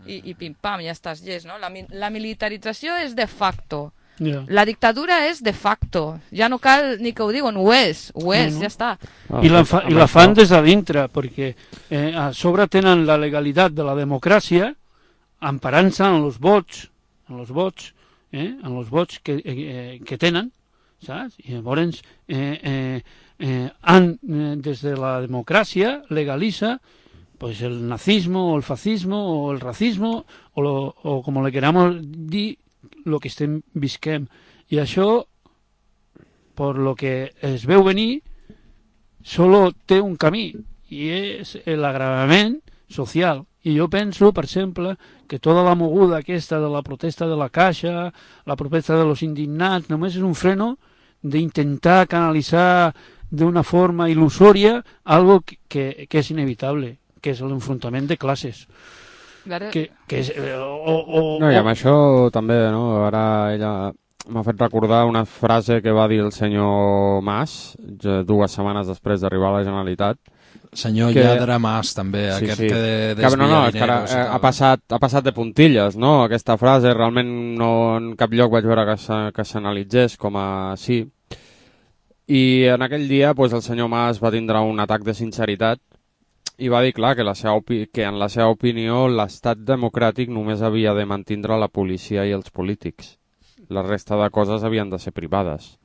I pim-pam, ja estàs llest, no? La militarització és de facto. Yeah. La dictadura és de facto. Ja no cal ni que ho diuen, ho és, ja està. I la fan des de dintre, perquè a sobre tenen la legalitat de la democràcia emparant-se en els vots, en els vots que tenen, saps? I llavors des de la democràcia legalitza pues el nazismo o el fascismo o el racismo o com le queramos dir lo que estem visquem. I això, per lo que es veu venir, solo té un camí, i és l'agravament social. I jo penso, per exemple, que tota la moguda aquesta de la protesta de la Caixa, la protesta de los indignats, només és un freno d'intentar canalitzar d'una forma il·lusòria algo que és inevitable, que és l'enfrontament de classes. Que és, no, i amb això també, no? Ara ella m'ha fet recordar una frase que va dir el senyor Mas 2 setmanes després d'arribar a la Generalitat. Senyor Lladre Mas, també, aquest que desvia diners. Ha passat de puntilles, no? Aquesta frase realment no en cap lloc vaig veure que s'analitzés com a sí. I en aquell dia el senyor Mas va tindre un atac de sinceritat i va dir, clar, que en la seva opinió l'estat democràtic només havia de mantindre la policia i els polítics. La resta de coses havien de ser privades.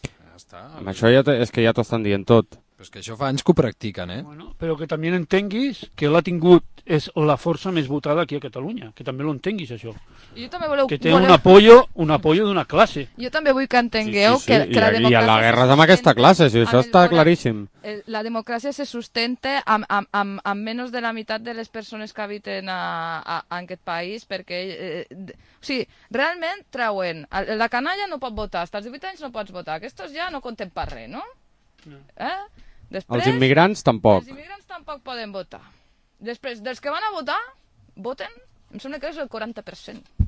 Ja està. Amb això és que ja t'ho estan dient tot. Però és que això fa anys que ho practiquen, Bueno, però que també entenguis que l'ha tingut, és la força més votada aquí a Catalunya, que també l'entenguis, això. Jo també que té un apoyo d'una classe. Jo també vull que entengueu que la democràcia... I la guerra és amb aquesta classe, si això està claríssim. La democràcia se sustenta amb menys de la meitat de les persones que habiten en aquest país, perquè... o sigui, realment treuen... La canalla no pot votar, fins als 18 anys no pots votar, aquests ja no compten per res, no? Els immigrants tampoc. Els immigrants tampoc poden votar. Després, dels que van a votar, voten, em sembla que és el 40%.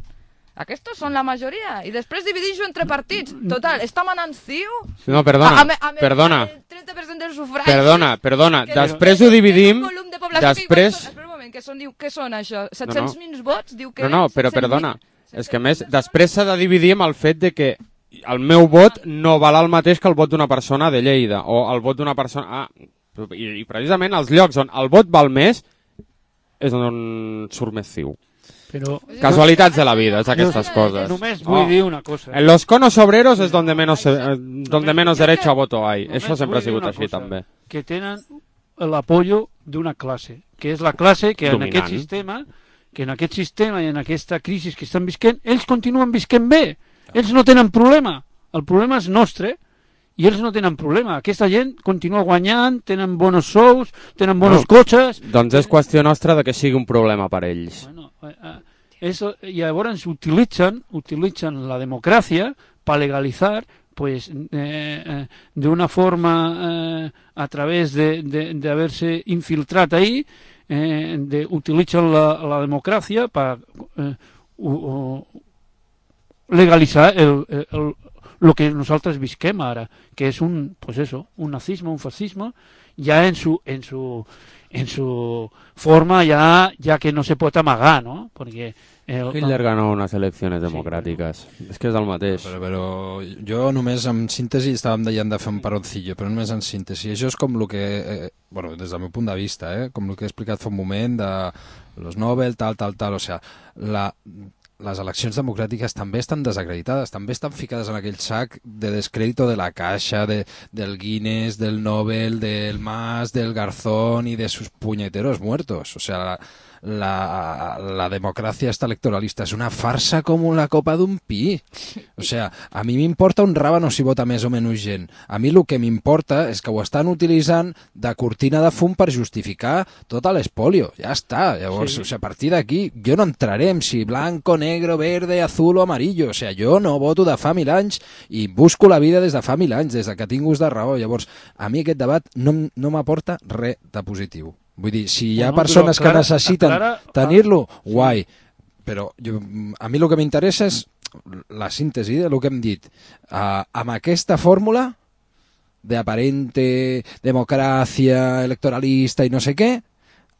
Aquests són la majoria. I després dividir-ho entre partits. Total, està manant CiU... No, perdona. El 30% del sufragi... Perdona. Després ho dividim... Després... Espera un moment, què són això? 700.000 vots? Diu que no, però perdona. És que més, després s'ha de dividir amb el fet de que el meu vot no val el mateix que el vot d'una persona de Lleida, o el vot d'una persona... I precisament els llocs on el vot val més és on surt més CiU. Pero casualitats de la vida, es aquestes coses. Només vull dir una cosa. En los conos obreros es donde menos derecho a voto hay. Això sempre ha sigut així també. Que tenen l'apoyo d'una classe, que és la classe que en aquest sistema i en aquesta crisi que estan visquent, ells continuen visquent bé. Ells no tenen problema. El problema és nostre i ells no tenen problema. Aquesta gent continua guanyant, tenen bons sous, tenen bons cotxes... Doncs és qüestió nostra de que sigui un problema per ells. Bueno, llavors utilitzen la democràcia per legalitzar pues de una forma a través de haberse infiltrat ahí, utilitzen la democràcia per legalitzar lo que nosaltres visquem ara, que és un nazisme, un fascisme, ja en su forma ya que no se pot amagar, ¿no? Porque Hitler ganó unes eleccions democràtiques. És que és el mateix. Però jo només en síntesi estàvem deien de fer un paroncillo, però només en síntesi. Això és com el que, des del meu punt de vista, com el que he explicat fa un moment de los Nobel, tal, o sea, les eleccions democràtiques també estan desacreditades, també estan ficades en aquell sac de descrèdito de la Caixa, del Guinness, del Nobel, del Mas, del Garzón y de sus puñeteros muertos. O sea, la democracia esta electoralista és una farsa com la copa d'un pi. O sea, a mi m'importa un ràbano si vota més o menys gent. A mi el que m'importa és que ho estan utilitzant de cortina de fum per justificar tot l'espolio. Ja està. Llavors, a partir d'aquí, jo no entraré en si blanco, negro, verde, azul o amarillo. O sea, jo no voto de fa 1000 anys i busco la vida des de fa 1000 anys, des que tinc ús de raó. Llavors, a mi aquest debat no m'aporta res de positiu. Vull dir, si hi ha persones que necessiten tenir-lo, guai. Però a mi el que m'interessa és la síntesi del que hem dit. Amb aquesta fórmula d'aparente democràcia electoralista i no sé què,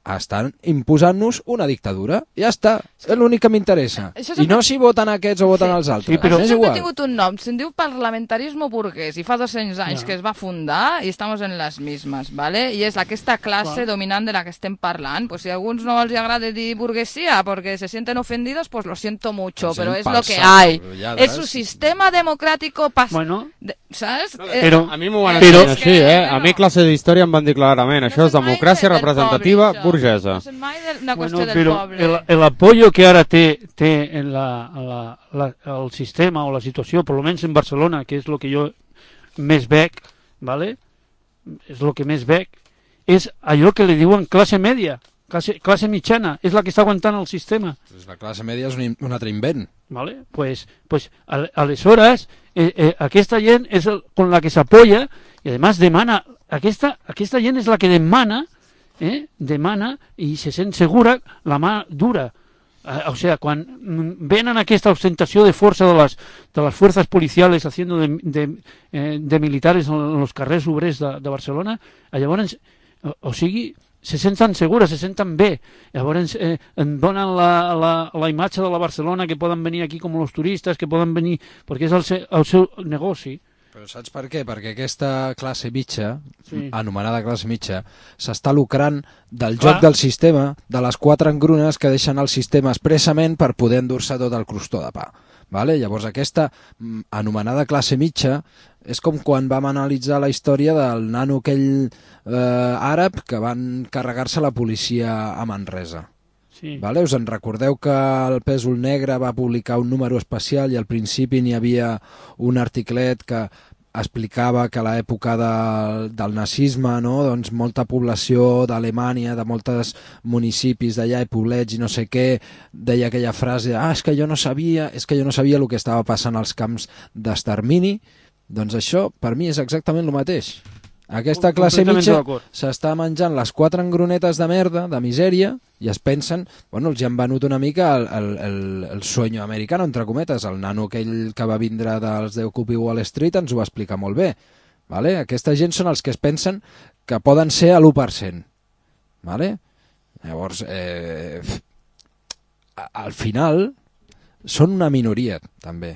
estan imposant-nos una dictadura. Ja està, és l'únic que m'interessa. I no si voten aquests o voten els altres. Sí, però això ha tingut un nom, se'n diu parlamentarisme burguès, i fa 200 anys que es va fundar i estem en les mismes, ¿vale? I és aquesta classe dominant de la que estem parlant. Pues si a alguns no els agrada dir burguesía porque se sienten ofendidos, pues lo siento mucho, pero es lo que hay. Es su sistema democrático ¿sabes? Però a mi m'ho van ensenyar així, A mi classe d'història em van dir clarament, això és democràcia representativa burguesa. Bueno, pero el apoyo que ahora té en el sistema o la situació, per almenys en Barcelona, que és el que jo més veig, ¿vale? És el que més veig, és allò que li diuen classe media, classe mitjana, és la que està aguantant el sistema. Pues la classe media és un altre invent. ¿Vale? Pues aleshores aquesta gent és con la que s'apoya i además demana, aquesta gent és la que demana i se sent segura la mà dura. O sea, quan venen aquesta ostentació de força de les fuerzas policiales haciendo de militares en los carrers obrers de Barcelona, llavors, o sigui, se senten segures, se senten bé. Llavors en donen la imatge de la Barcelona, que poden venir aquí com els turistes, que poden venir, perquè és el seu negoci. Però saps per què? Perquè aquesta classe mitja, anomenada classe mitja, s'està lucrant del joc del sistema, de les 4 engrunes que deixen el sistema expressament per poder endur-se tot el crostó de pa. Vale? Llavors aquesta anomenada classe mitja és com quan vam analitzar la història del nano aquell àrab que van carregar-se la policia a Manresa. Sí. Vale? Us en recordeu que el Pèsol Negre va publicar un número especial i al principi n'hi havia un articlet que explicava que a l'època del nazisme, no? Doncs molta població d'Alemanya, de molts municipis d'allà i poblets i no sé què, deia aquella frase, és que jo no sabia el que estava passant als camps d'extermini. Doncs això per mi és exactament el mateix. Aquesta classe mitja s'està menjant les 4 engrunetes de merda, de misèria, i es pensen, bueno, els han venut una mica el sueño americano, entre cometes, el nano aquell que va vindre dels de Occupy Wall Street ens ho va explicar molt bé. Vale? Aquesta gent són els que es pensen que poden ser a l'1%. Vale? Llavors, al final, són una minoria, també.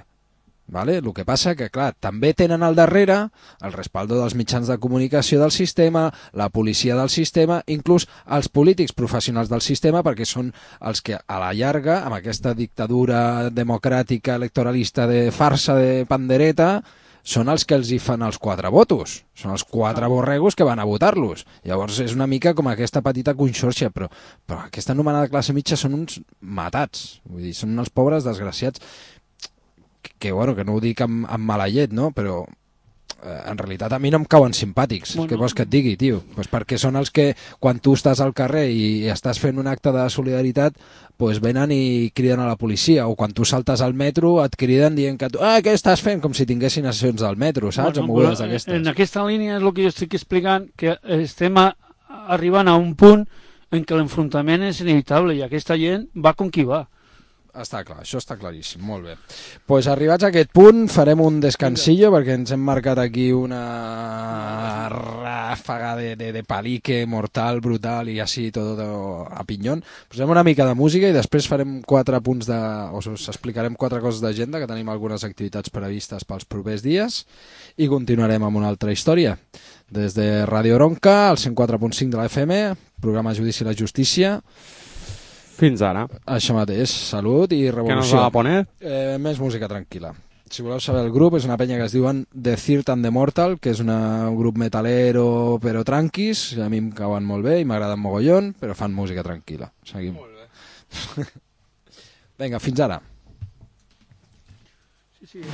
Vale? El que passa que, clar, també tenen al darrere el respaldo dels mitjans de comunicació del sistema, la policia del sistema, inclús els polítics professionals del sistema, perquè són els que a la llarga, amb aquesta dictadura democràtica electoralista de farsa de pandereta, són els que els hi fan els 4 votos. Són els 4 borregos que van a votar-los. Llavors és una mica com aquesta petita conxorxa, però aquesta anomenada classe mitja són uns matats. Vull dir, són els pobres desgraciats que no ho dic amb mala llet, no? Però en realitat a mi no em cauen simpàtics. Què vols que et digui, tio? Pues perquè són els que, quan tu estàs al carrer i estàs fent un acte de solidaritat, pues venen i criden a la policia, o quan tu saltes al metro et criden dient que tu, què estàs fent? Com si tinguessin sessions del metro, saps? En aquesta línia és el que jo estic explicant, que estem arribant a un punt en què l'enfrontament és inevitable i aquesta gent va com qui va. Està clar, això està claríssim, molt bé. Doncs arribats a aquest punt farem un descansillo perquè ens hem marcat aquí una ràfaga de palique mortal, brutal i així tot a pinyón. Posem una mica de música i després farem 4 punts us explicarem 4 coses d'agenda, que tenim algunes activitats previstes pels propers dies i continuarem amb una altra història. Des de Radio Bronca, al 104.5 de la FM, programa Judici i la Justícia. Fins ara. Això mateix, salut i revolució. Què nos va a poner? Més música tranquil·la. Si voleu saber el grup, és una penya que es diuen The Third and the Mortal, que és un grup metalero però tranquis, a mi em cauen molt bé i m'agraden mogollon, però fan música tranquil·la. Seguim. Molt bé. Vinga, fins ara. Sí.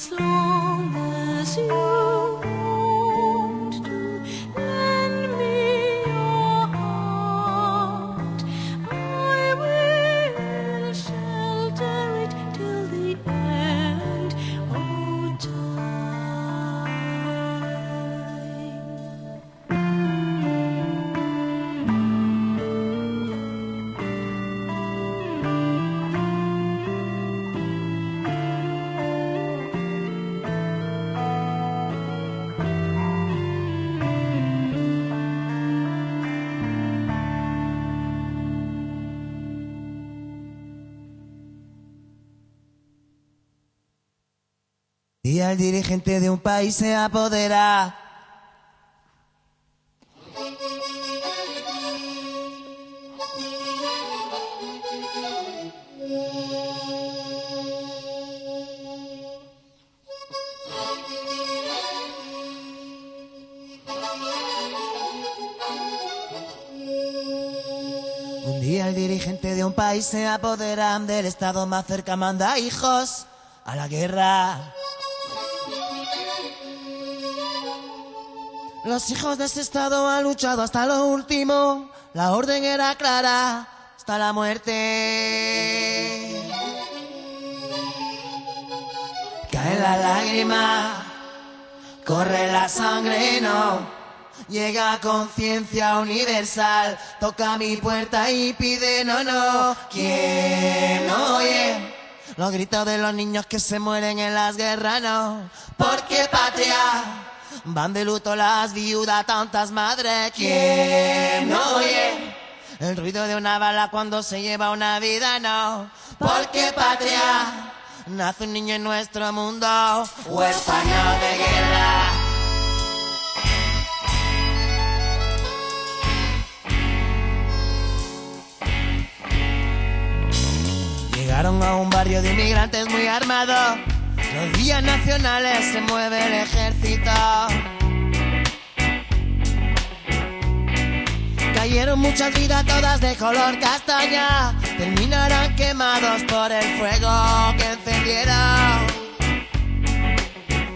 as long as you want to lend me your heart. I will shelter it till the end of time. Y el dirigente de un país se apodera. Un día el dirigente de un país se apodera del estado más cerca, manda hijos a la guerra. Los hijos de ese estado han luchado hasta lo último. La orden era clara, hasta la muerte. Cae la lágrima, corre la sangre, no. Llega conciencia universal, toca mi puerta y pide no, no. ¿Quién oye los gritos de los niños que se mueren en las guerras? No, porque patria. Van de luto las viudas, tantas madres. ¿Quién oye el ruido de una bala cuando se lleva una vida? No, porque patria. Nace un niño en nuestro mundo, huérfano de guerra. Llegaron a un barrio de inmigrantes muy armados. Los días nacionales se mueve el ejército. Cayeron muchas vidas, todas de color castaña. Terminarán quemados por el fuego que encendieron.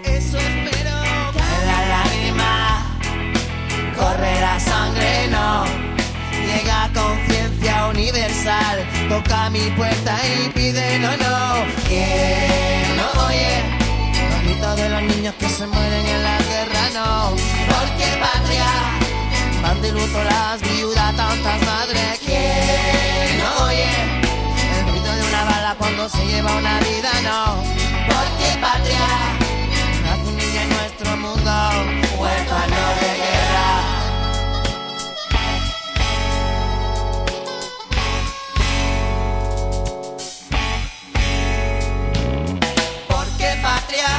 Eso espero. Cae la lágrima, corre la sangre, no. Llega conciencia universal, toca mi puerta y pide no, no. ¿Quién no oye los gritos de los niños que se mueren en la guerra? No, porque patria. Van de luto las viudas, tantas madres. ¿Quién no oye el ruido de una bala cuando se lleva una vida? No, porque patria. Nace un niño en nuestro mundo, huérfano de guerra. Patria,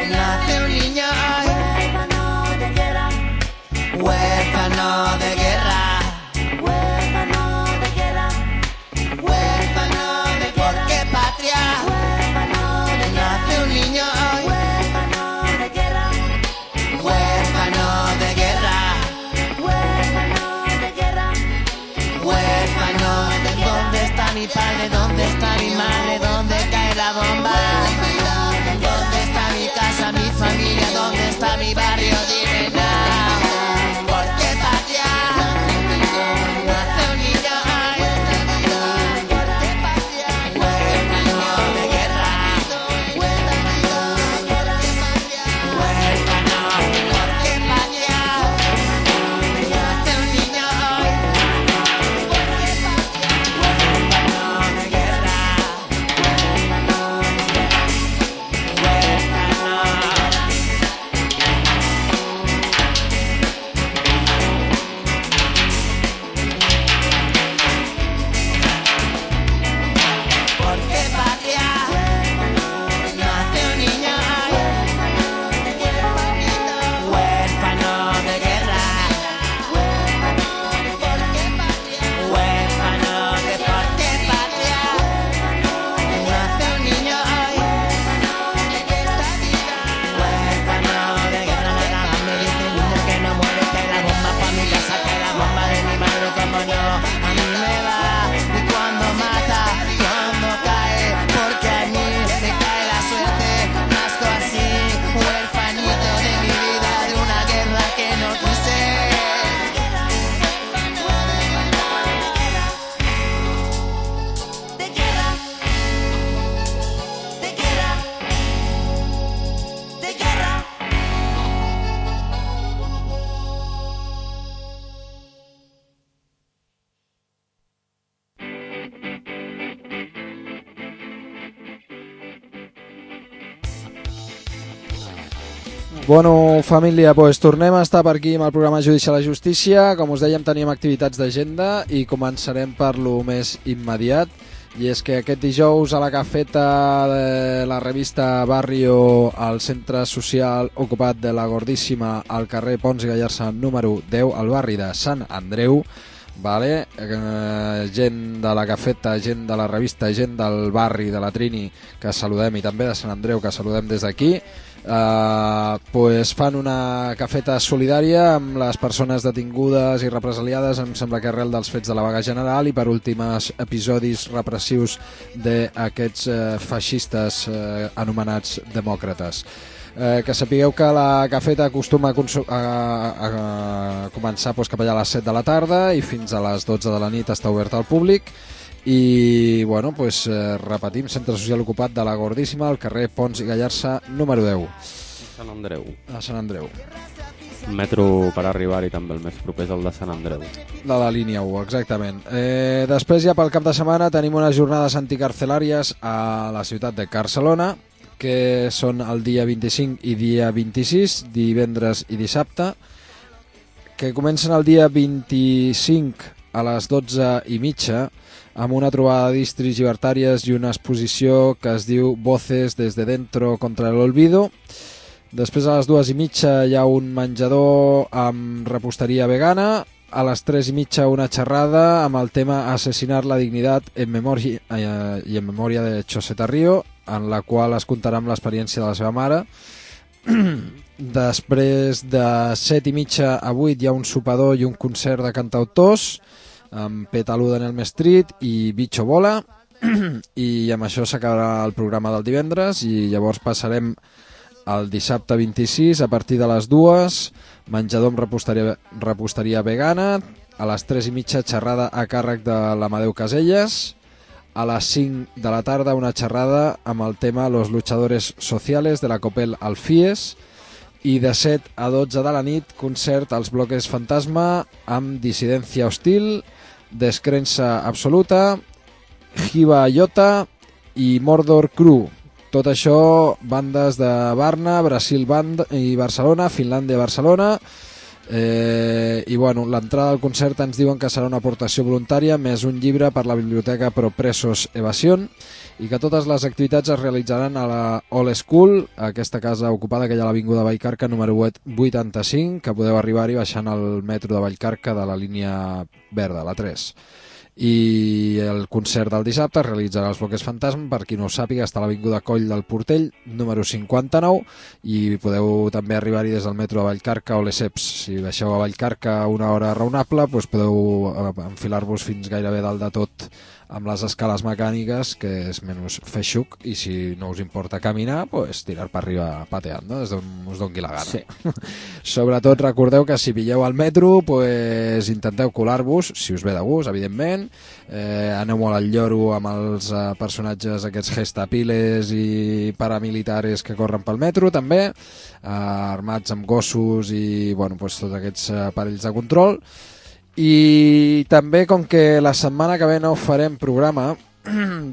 nace un niño hoy, huérfano de guerra, huérfano de guerra, huérfano de guerra, porque patria, nace un niño hoy, huérfano de guerra, huérfano de guerra, huérfano de guerra, huérfano de ¿dónde está mi padre? ¿Dónde está mi madre? ¿Dónde cae la bomba? ¿Dónde está mi casa, mi familia? ¿Dónde está mi barrio? Dime nada. Porque patria, nace un niño hoy. Porque patria, huérfano de guerra. Huérfano, porque patria, nace un niño hoy. Porque patria, huérfano de guerra. Bueno, família, doncs tornem a estar per aquí amb el programa Judici a la Justícia. Com us dèiem, teníem activitats d'agenda i començarem per lo més immediat. I és que aquest dijous a la cafeta de la revista Barrio al centre social ocupat de la Gordíssima al carrer Pons i Gallarza número 10 al barri de Sant Andreu, vale? Gent de la cafeta, gent de la revista, gent del barri de la Trini que saludem i també de Sant Andreu que saludem des d'aquí, pues fan una cafeta solidària amb les persones detingudes i represaliades, em sembla que arrel dels fets de la vaga general i per últims episodis repressius d'aquests feixistes anomenats demòcrates. Que sapigueu que la cafeta acostuma a començar cap allà a les 7 de la tarda i fins a les 12 de la nit està oberta al públic. I bueno, repetim, centre social ocupat de la Gordíssima al carrer Pons i Gallarza número 10 Sant Andreu. A Sant Andreu. El metro per arribar-hi també el més proper és el de Sant Andreu. De la línia 1, exactament. Després ja pel cap de setmana tenim unes jornades anticarcelàries a la ciutat de Barcelona, que són el dia 25 i dia 26, divendres i dissabte, que comencen el dia 25 a les 12:30 amb una trobada de distris llibertàries i una exposició que es diu Voces desde dentro contra el olvido. Després a les 2:30 hi ha un menjador amb reposteria vegana. A les 3:30 una xerrada amb el tema Asesinar la dignitat en memòria i en memòria de Choseta Río, en la qual es contarà amb l'experiència de la seva mare. Després de 7:30 a 8 hi ha un sopador i un concert de cantautors amb Petaluda en el Street i Bicho Bola, i amb això s'acabarà el programa del divendres i llavors passarem al dissabte 26 a partir de les 2, menjador amb reposteria vegana. A les 3:30 xerrada a càrrec de l'Amadeu Caselles. A les 5 de la tarda una xerrada amb el tema Los luchadores sociales de la Copel Alfies. I de 7 a 12 de la nit concert als Bloques Fantasma amb Dissidència Hostil, Descrença Absoluta, Jiva Iota i Mordor Cru. Tot això bandes de Varna, Brasil i Barcelona, Finlàndia i Barcelona. I bueno, l'entrada al concert ens diuen que serà una aportació voluntària més un llibre per la biblioteca Pro Presos Evasion, i que totes les activitats es realitzaran a la All School, aquesta casa ocupada que hi ha a l'Avinguda Vallcarca número 85, que podeu arribar-hi baixant al metro de Vallcarca de la línia verda, la 3. I el concert del dissabte es realitzarà als Bloques Fantasma, per qui no ho sàpiga, està a l'Avinguda Coll del Portell número 59, i podeu també arribar-hi des del metro de Vallcarca o Lesseps. Si baixeu a Vallcarca a una hora raonable, doncs podeu enfilar-vos fins gairebé dalt de tot amb les escales mecàniques, que és menys feixuc, i si no us importa caminar, pues tirar per arriba pateant, no? Des d'on us doni la gana. Sí. Sobretot recordeu que si pilleu al metro, pues intenteu colar-vos, si us ve de gust, evidentment. Aneu molt al lloro amb els personatges aquests gestapiles i paramilitares que corren pel metro, també, armats amb gossos i bueno, pues, tots aquests aparells de control. I també, com que la setmana que ve no farem programa,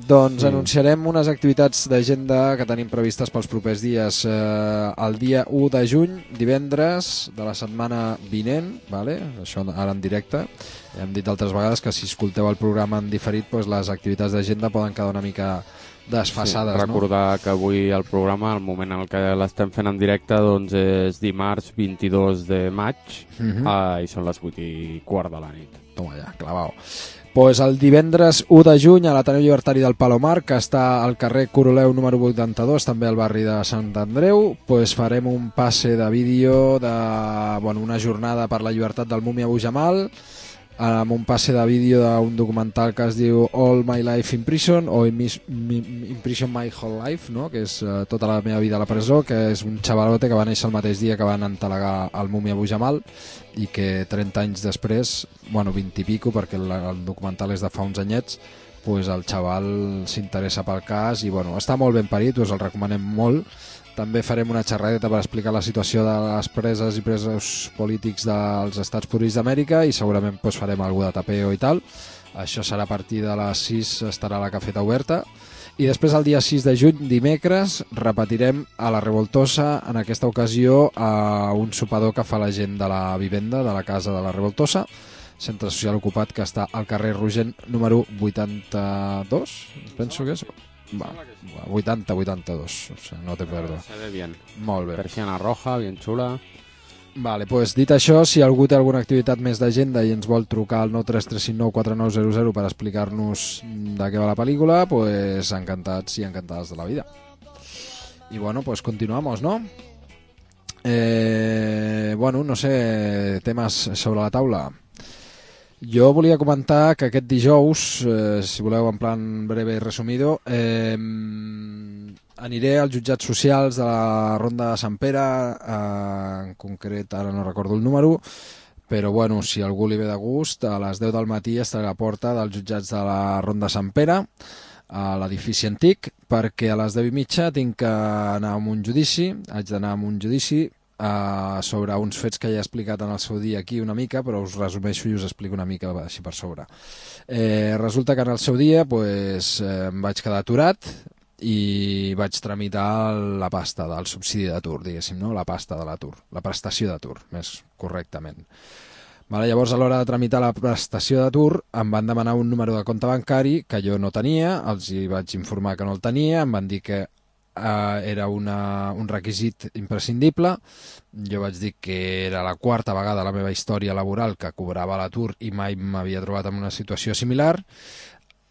doncs anunciarem unes activitats d'agenda que tenim previstes pels propers dies. El dia 1 de juny, divendres de la setmana vinent, vale? Això ara en directe. Hem dit altres vegades que si escolteu el programa en diferit, doncs les activitats d'agenda poden quedar una mica desfasades. Sí, recordar que avui el programa, el moment en què l'estem fent en directe, doncs és dimarts 22 de maig i són les 8:15 de la nit. Toma ja, clavau. Pues el divendres 1 de juny a l'Ateneu Llibertari del Palomar, que està al carrer Coroleu número 82, també al barri de Sant Andreu, pues farem un passe de vídeo de una jornada per la llibertat del Múmia Abu Jamal, amb un passe de vídeo d'un documental que es diu All My Life in Prison o In Prison My Whole Life, no? Que és tota la meva vida a la presó, que és un xavalote que va néixer el mateix dia que van entelegar el Múmia Abu Jamal i que 30 anys després, 20 i pico, perquè el documental és de fa uns anyets, pues el xaval s'interessa pel cas i està molt ben parit, us el recomanem molt. També farem una xerradeta per explicar la situació de les preses i presos polítics dels Estats Units d'Amèrica i segurament farem alguna de tapeo i tal. Això serà a partir de les 6, estarà la cafeta oberta. I després el dia 6 de juny, dimecres, repetirem a la Revoltosa, en aquesta ocasió a un sopador que fa la gent de la vivenda de la casa de la Revoltosa, centre social ocupat que està al carrer Rogent número 82, penso que és. Va, 80-82, o sigui, no te perdo. Se ve bien. Molt bé. Persiana roja, bien xula. Vale, pues dit això, si algú té alguna activitat més d'agenda i ens vol trucar al 933594900 per explicar-nos de què va la pel·lícula, pues encantats i encantades de la vida. I bueno, pues continuamos, ¿no? Bueno, no sé, temes sobre la taula. Jo volia comentar que aquest dijous, si voleu en plan breve i resumido, aniré als jutjats socials de la Ronda de Sant Pere, en concret ara no recordo el número, però bueno, si algú li ve de gust, a les 10 del matí estaré a la porta dels jutjats de la Ronda de Sant Pere, a l'edifici antic, perquè a les 10:30 tinc que anar a un judici, haig d'anar a un judici sobre uns fets que ja he explicat en el seu dia aquí una mica, però us resumeixo i us explico una mica així per sobre. Resulta que en el seu dia pues, em vaig quedar aturat i vaig tramitar la pasta del subsidi d'atur, diguéssim, no? La pasta de l'atur, la prestació d'atur, més correctament. Vale, llavors, a l'hora de tramitar la prestació d'atur, em van demanar un número de compte bancari que jo no tenia, els hi vaig informar que no el tenia, em van dir que era un requisit imprescindible. Jo vaig dir que era la quarta vegada a la meva història laboral que cobrava l'atur i mai m'havia trobat en una situació similar.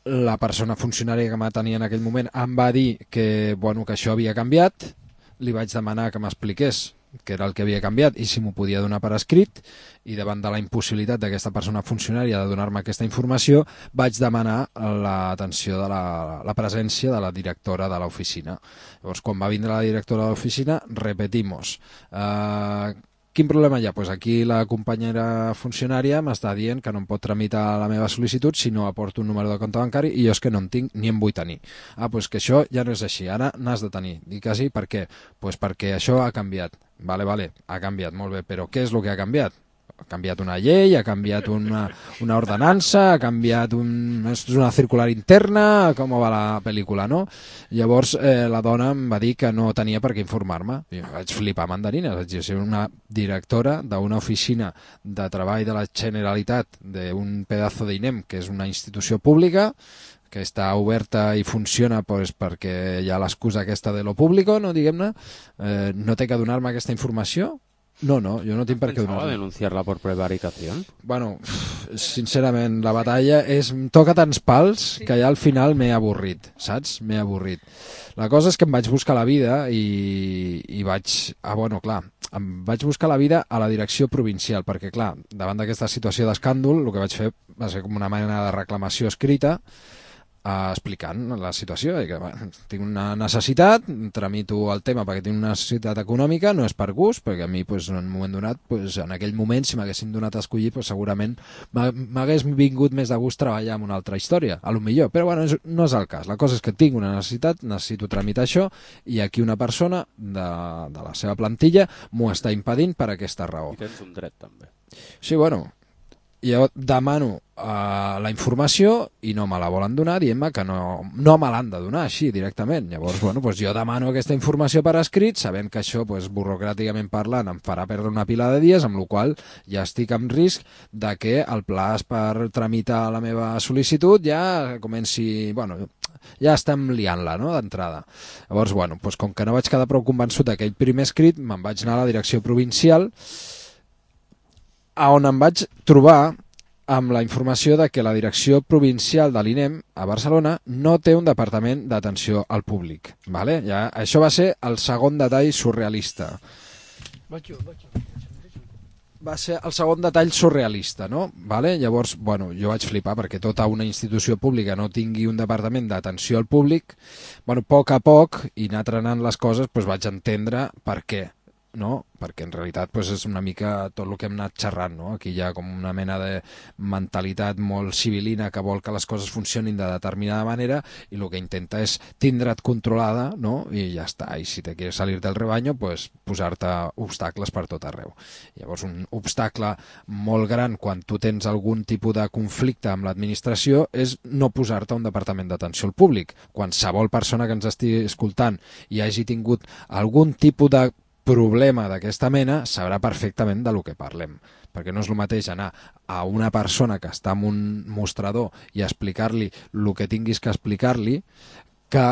La persona funcionària que m'atenia en aquell moment em va dir que, bueno, que això havia canviat. Li vaig demanar que m'expliqués què era el que havia canviat i si m'ho podia donar per escrit, i davant de la impossibilitat d'aquesta persona funcionària de donar-me aquesta informació vaig demanar l'atenció de la presència de la directora de l'oficina. Llavors, quan va vindre la directora de l'oficina, repetimos. Quin problema hi ha? Pues aquí la companyera funcionària m'està dient que no em pot tramitar la meva sol·licitud si no aporto un número de compte bancari i jo és que no en tinc ni en vull tenir. Pues que això ja no és així, ara n'has de tenir. Dic que sí, per què? Pues perquè això ha canviat. Vale, ha canviat, molt bé, però què és el que ha canviat? Ha canviat una llei, ha canviat una ordenança, ha canviat una circular interna, com va la pel·lícula, no? Llavors la dona em va dir que no tenia per què informar-me. Jo vaig flipar mandarines, vaig dir, ser una directora d'una oficina de treball de la Generalitat d'un pedazo d'INEM, que és una institució pública, que està oberta i funciona pues, perquè hi ha l'excusa aquesta de lo público, no, diguem-ne, no té que donar-me aquesta informació? No, jo no tinc per què donar-me. ¿Pensaba denunciarla por prevaricación? Bueno, sincerament, la batalla toca tants pals que ja al final m'he avorrit, saps? M'he avorrit. La cosa és que em vaig buscar la vida i vaig... bueno, clar, em vaig buscar la vida a la direcció provincial, perquè, clar, davant d'aquesta situació d'escàndol, el que vaig fer va ser com una mena de reclamació escrita, explicant la situació, que tinc una necessitat, tramito el tema perquè tinc una necessitat econòmica, no és per gust, perquè a mi pues, en un moment donat, pues, en aquell moment, si m'haguessin donat a escollir, pues, segurament m'hagués vingut més de gust treballar en una altra història, a lo millor, però bueno, no és el cas. La cosa és que tinc una necessitat, necessito tramitar això, i aquí una persona de la seva plantilla m'ho està impedint per aquesta raó. I tens un dret, també. Sí, bueno, jo demano la informació i no me la volen donar, dient-me que no me l'han de donar així directament. Llavors, bueno, pues jo demano aquesta informació per escrit, sabent que això, pues, burocràticament parlant, em farà perdre una pila de dies, amb la qual ja estic en risc de que el plaç per tramitar la meva sol·licitud ja comenci... Bueno, ja estem liant-la, no?, d'entrada. Llavors, bueno, pues, com que no vaig quedar prou convençut d'aquell primer escrit, me'n vaig anar a la direcció provincial, on em vaig trobar amb la informació de que la direcció provincial de l'INEM a Barcelona no té un departament d'atenció al públic. Vale? Ja, això va ser el segon detall surrealista. Va ser el segon detall surrealista, no? Vale? Llavors, bueno, jo vaig flipar perquè tota una institució pública no tingui un departament d'atenció al públic. Bueno, a poc, i anar trenant les coses, doncs vaig entendre per què. no? Perquè en realitat pues, és una mica tot el que hem anat xerrant, no? Aquí hi ha com una mena de mentalitat molt civilina que vol que les coses funcionin de determinada manera i el que intenta és tindre't controlada, no? I ja està, i si te quieres salir del rebaño pues posar-te obstacles per tot arreu. Llavors un obstacle molt gran quan tu tens algun tipus de conflicte amb l'administració és no posar-te a un departament d'atenció al públic. Qualsevol persona que ens estigui escoltant i hagi tingut algun tipus de problema d'aquesta mena sabrà perfectament de lo que parlem, perquè no és el mateix anar a una persona que està en un mostrador i explicar-li el que tinguis que explicar-li que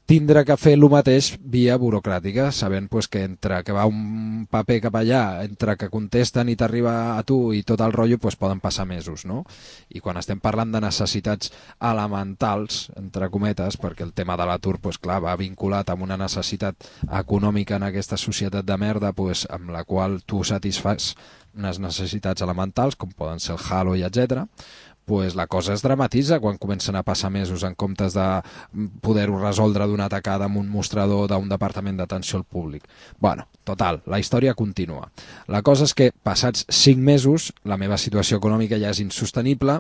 tindre que fer el mateix via burocràtica, sabent pues, que entre que va un paper cap allà, entre que contesten i t'arriba a tu i tot el rotllo, pues, poden passar mesos, no? I quan estem parlant de necessitats elementals, entre cometes, perquè el tema de l'atur, pues, clar, va vinculat amb una necessitat econòmica en aquesta societat de merda, pues, amb la qual tu satisfas unes necessitats elementals, com poden ser el halo i etc., pues la cosa es dramatitza quan comencen a passar mesos en comptes de poder-ho resoldre d'una tacada amb un mostrador d'un departament d'atenció al públic. Bueno, total, la història continua. La cosa és que, passats 5 mesos, la meva situació econòmica ja és insostenible,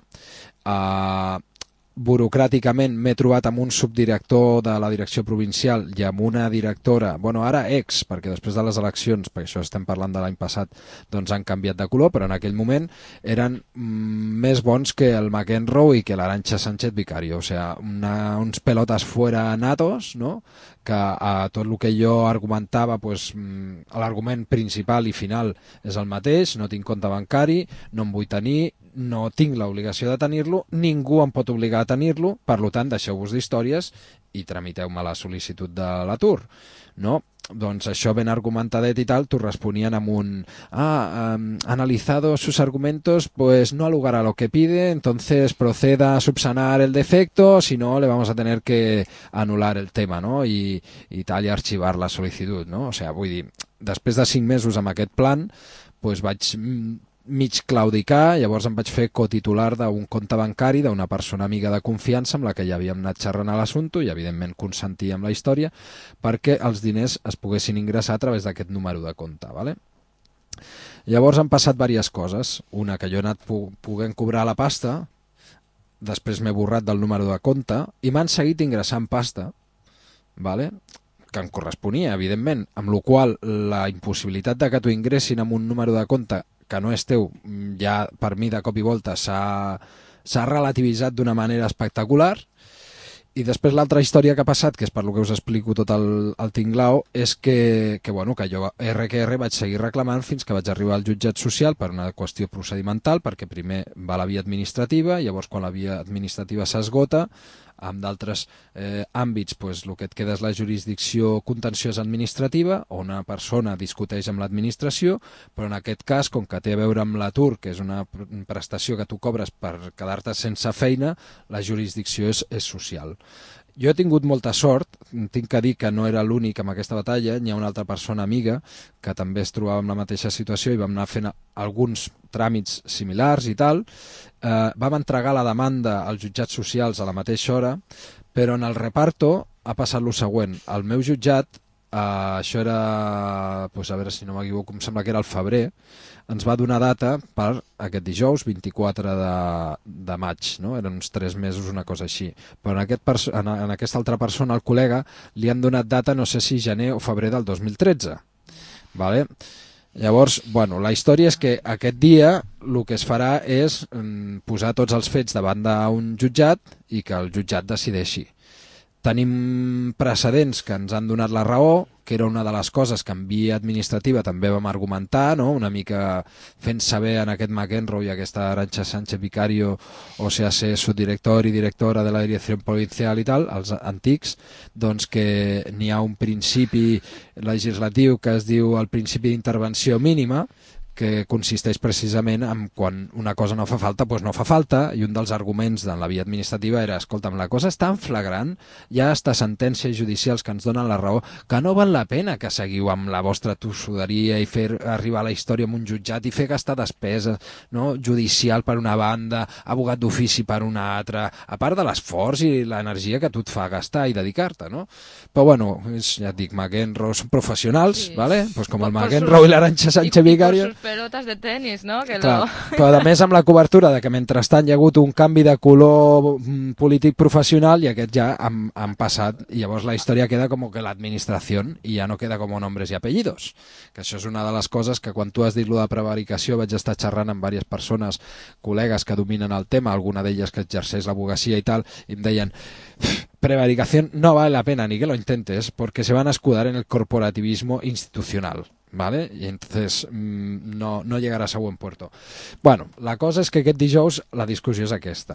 burocràticament m'he trobat amb un subdirector de la direcció provincial i amb una directora, bueno, ara ex, perquè després de les eleccions, perquè això estem parlant de l'any passat, doncs han canviat de color, però en aquell moment eren més bons que el McEnroe i que l'Arantxa Sánchez Vicario, o sea, uns pelotas fuera natos, no?, que a tot el que jo argumentava, pues, l'argument principal i final és el mateix, no tinc compte bancari, no em vull tenir, no tinc l'obligació de tenir-lo, ningú em pot obligar a tenir-lo, per tant, deixeu-vos d'històries i tramiteu-me la sol·licitud de l'atur, no? Doncs això ben argumentadet i tal, t'ho responien amb un analizado sus argumentos, pues no ha lugar a lo que pide, entonces proceda a subsanar el defecto, si no le vamos a tener que anular el tema, no? I tal, i arxivar la sol·licitud, no? O sea, vull dir, després de 5 mesos amb aquest plan, pues vaig mig claudicar, llavors em vaig fer cotitular d'un compte bancari d'una persona amiga de confiança amb la que ja havíem anat xerrant a l'assumpte i evidentment consentia amb la història perquè els diners es poguessin ingressar a través d'aquest número de compte, ¿vale? Llavors han passat diverses coses, una que jo he anat poguent cobrar la pasta, després m'he borrat del número de compte i m'han seguit ingressant pasta, ¿vale?, que em corresponia, evidentment, amb la qual la impossibilitat de que t'ho ingressin amb un número de compte que no és teu, ja per mi de cop i volta s'ha relativitzat d'una manera espectacular. I després l'altra història que ha passat, que és per lo que us explico tot el tinglao, és que jo RQR vaig seguir reclamant fins que vaig arribar al jutjat social per una qüestió procedimental, perquè primer va la via administrativa, llavors quan la via administrativa s'esgota, amb d'altres àmbits, pues, el que et queda és la jurisdicció contenciosa administrativa, on una persona discuteix amb l'administració, però en aquest cas, com que té a veure amb l'atur, que és una prestació que tu cobres per quedar-te sense feina, la jurisdicció és social. Jo he tingut molta sort, tinc que dir que no era l'únic amb aquesta batalla, n'hi ha una altra persona amiga que també es trobava en la mateixa situació i vam anar fent alguns tràmits similars i tal. Vam entregar la demanda als jutjats socials a la mateixa hora, però en el reparto ha passat el següent. El meu jutjat, això era, pues a veure si no m'equivoco, em sembla que era el febrer, ens va donar data per aquest dijous 24 de maig, no? Eren uns 3 mesos, una cosa així. Però en aquesta altra persona, el col·lega, li han donat data, no sé si gener o febrer del 2013. Vale? Llavors, bueno, la història és que aquest dia el que es farà és posar tots els fets davant d'un jutjat i que el jutjat decideixi. Tenim precedents que ens han donat la raó, que era una de les coses que en via administrativa també vam argumentar, no? Una mica fent saber en aquest McEnroe i aquesta Arantxa Sánchez Vicario, o sea, ser subdirector i directora de la direcció provincial i tal, els antics, doncs que n'hi ha un principi legislatiu que es diu el principi d'intervenció mínima, que consisteix precisament en quan una cosa no fa falta, doncs no fa falta, i un dels arguments de la via administrativa era, escolta'm, la cosa és tan flagrant, hi ha hasta sentències judicials que ens donen la raó, que no val la pena que seguiu amb la vostra tossuderia i fer arribar la història a un jutjat i fer gastar despesa, no? Judicial per una banda, abogat d'ofici per una altra, a part de l'esforç i l'energia que tu et fa gastar i dedicar-te, no? Però bueno, ja et dic, McEnroe són professionals, sí. ¿Vale? Pues com el McEnroe i l'Arantxa Sánchez Vicario. Pelotas de tenis, ¿no? Que Clar, però a més amb la cobertura de que mentrestant hi ha hagut un canvi de color polític professional i aquest ja han passat i llavors la història queda com que l'administració i ja no queda com nombres i apellidos, que això és una de les coses que quan tu has dit lo de prevaricació vaig estar xerrant amb diverses persones, col·legues que dominen el tema, alguna d'elles que exerceix l'advocacia i tal, i em deien prevaricación no vale la pena ni que lo intentes porque se van a escudar en el corporativismo institucional. ¿Vale? Y entonces no llegaràs a buen puerto. Bueno, la cosa és que aquest dijous la discussió és aquesta.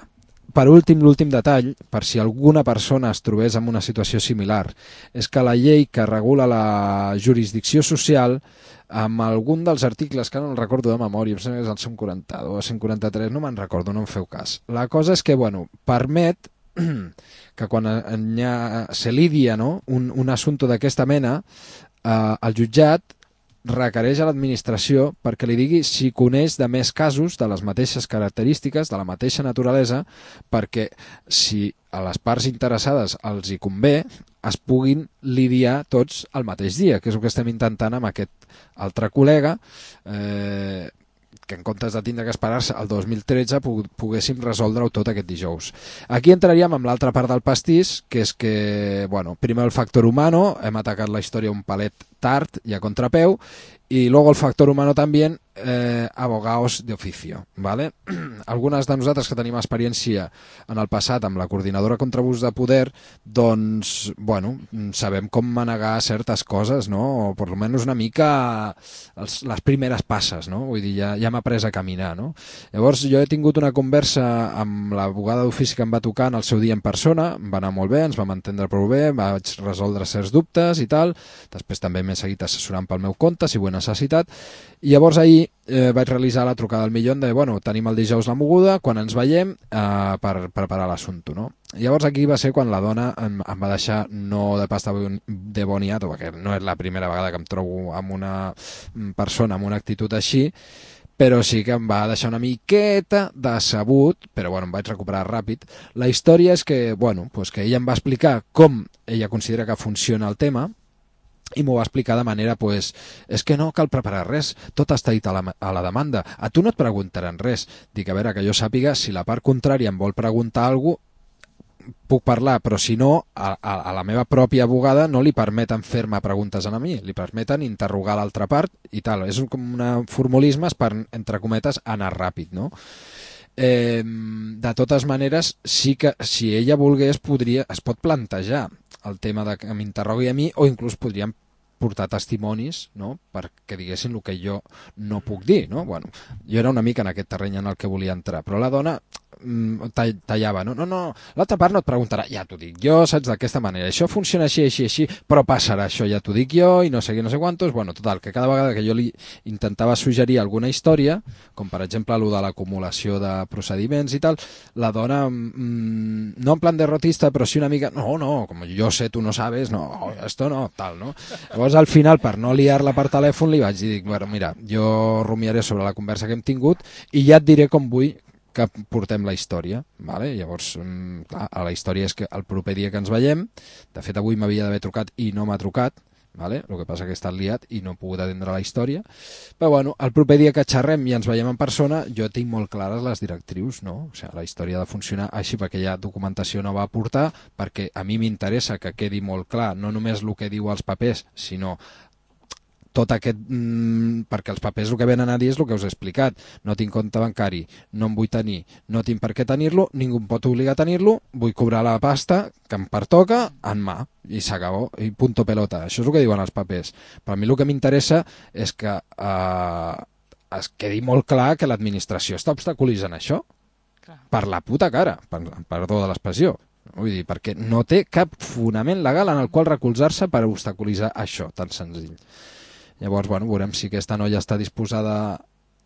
Per últim, l'últim detall, per si alguna persona es trobés en una situació similar, és que la llei que regula la jurisdicció social, amb algun dels articles, que no el recordo de memòria, em sembla que és el 142 o 143, no me'n recordo, no em feu cas. La cosa és que, bueno, permet que quan se lidia, no, un assumpte d'aquesta mena, el jutjat requereix a l'administració perquè li digui si coneix de més casos de les mateixes característiques, de la mateixa naturalesa, perquè si a les parts interessades els hi convé, es puguin lidiar tots el mateix dia, que és el que estem intentant amb aquest altre col·lega, que en comptes de tindre que esperar-se al 2013 poguéssim resoldre-ho tot aquest dijous. Aquí entraríem amb l'altra part del pastís, que és que, bueno, primer el factor humano, hem atacat la història un palet tard i a contrapeu, y luego el factor humano también, abogados de oficio, ¿vale? Algunes de nosaltres que tenim experiència en el passat amb la coordinadora contra abús de poder, doncs, bueno, sabem com manegar certes coses, no? O per almenys una mica les primeres passes, no? Vull dir, ja m'ha après a caminar, no? Llavors, jo he tingut una conversa amb l'abogada d'ofici que em va tocar en el seu dia en persona, em va anar molt bé, ens vam entendre prou bé, vaig resoldre certs dubtes i tal, després també m'he seguit assessorant pel meu compte, si ho he necessitat, i llavors ahir vaig realitzar la trucada al millón de, bueno, tenim el dijous la moguda, quan ens veiem per preparar l'assumpte, no? Llavors aquí va ser quan la dona em va deixar no de pasta de boniato, perquè no és la primera vegada que em trobo amb una persona amb una actitud així, però sí que em va deixar una miqueta decebut, però bueno, em vaig recuperar ràpid. La història és que, bueno, pues que ella em va explicar com ella considera que funciona el tema, i m'ho va explicar de manera, pues, és que no cal preparar res, tot està dit a la demanda, a tu no et preguntaran res. Dic, a veure, que jo sàpiga, si la part contrària em vol preguntar alguna cosa, puc parlar, però si no, a la meva pròpia abogada no li permeten fer-me preguntes a mi, li permeten interrogar l'altra part i tal. És com un formulisme per, entre cometes, anar ràpid, no? De totes maneres, sí que si ella volgués es pot plantejar el tema de que m'interrogui a mi, o inclús podríem portar testimonis, no?, perquè diguessin el que jo no puc dir, no? Bueno, jo era una mica en aquest terreny en el que volia entrar, però la dona tallava, no, l'altra part no et preguntarà, ja t'ho dic jo, saps, d'aquesta manera, això funciona així, però passarà això, ja t'ho dic jo, i no sé què, no sé quantos. Bueno, total, que cada vegada que jo li intentava suggerir alguna història, com per exemple el de l'acumulació de procediments i tal, la dona, no en plan derrotista, però sí una mica, no, com jo sé, tu no sabes, no, esto no, tal, no? Llavors, al final, per no liar-la per telèfon, li vaig dir, bueno, mira, jo rumiaré sobre la conversa que hem tingut i ja et diré com vull que portem la història, vale? Llavors, clar, la història és que el proper dia que ens veiem, de fet avui m'havia d'haver trucat i no m'ha trucat, vale? El que passa que he estat liat i no he pogut atendre la història, però bueno, el proper dia que xerrem i ens veiem en persona, jo tinc molt clares les directrius, no? O sigui, la història ha de funcionar així perquè hi ha documentació nova a portar, perquè a mi m'interessa que quedi molt clar, no només el que diu als papers, sinó tot aquest, perquè els papers el que venen a dir és el que us he explicat, no tinc compte bancari, no en vull tenir, no tinc per què tenir-lo, ningú em pot obligar a tenir-lo, vull cobrar la pasta que em pertoca en mà, i s'acabó, i punto pelota, això és el que diuen els papers. Per a mi el que m'interessa és que es quedi molt clar que l'administració està obstaculitzant això, per la puta cara, perdó de l'expressió. Vull dir, perquè no té cap fonament legal en el qual recolzar-se per obstaculitzar això, tan senzill. Llavors, bueno, veurem si aquesta noia està disposada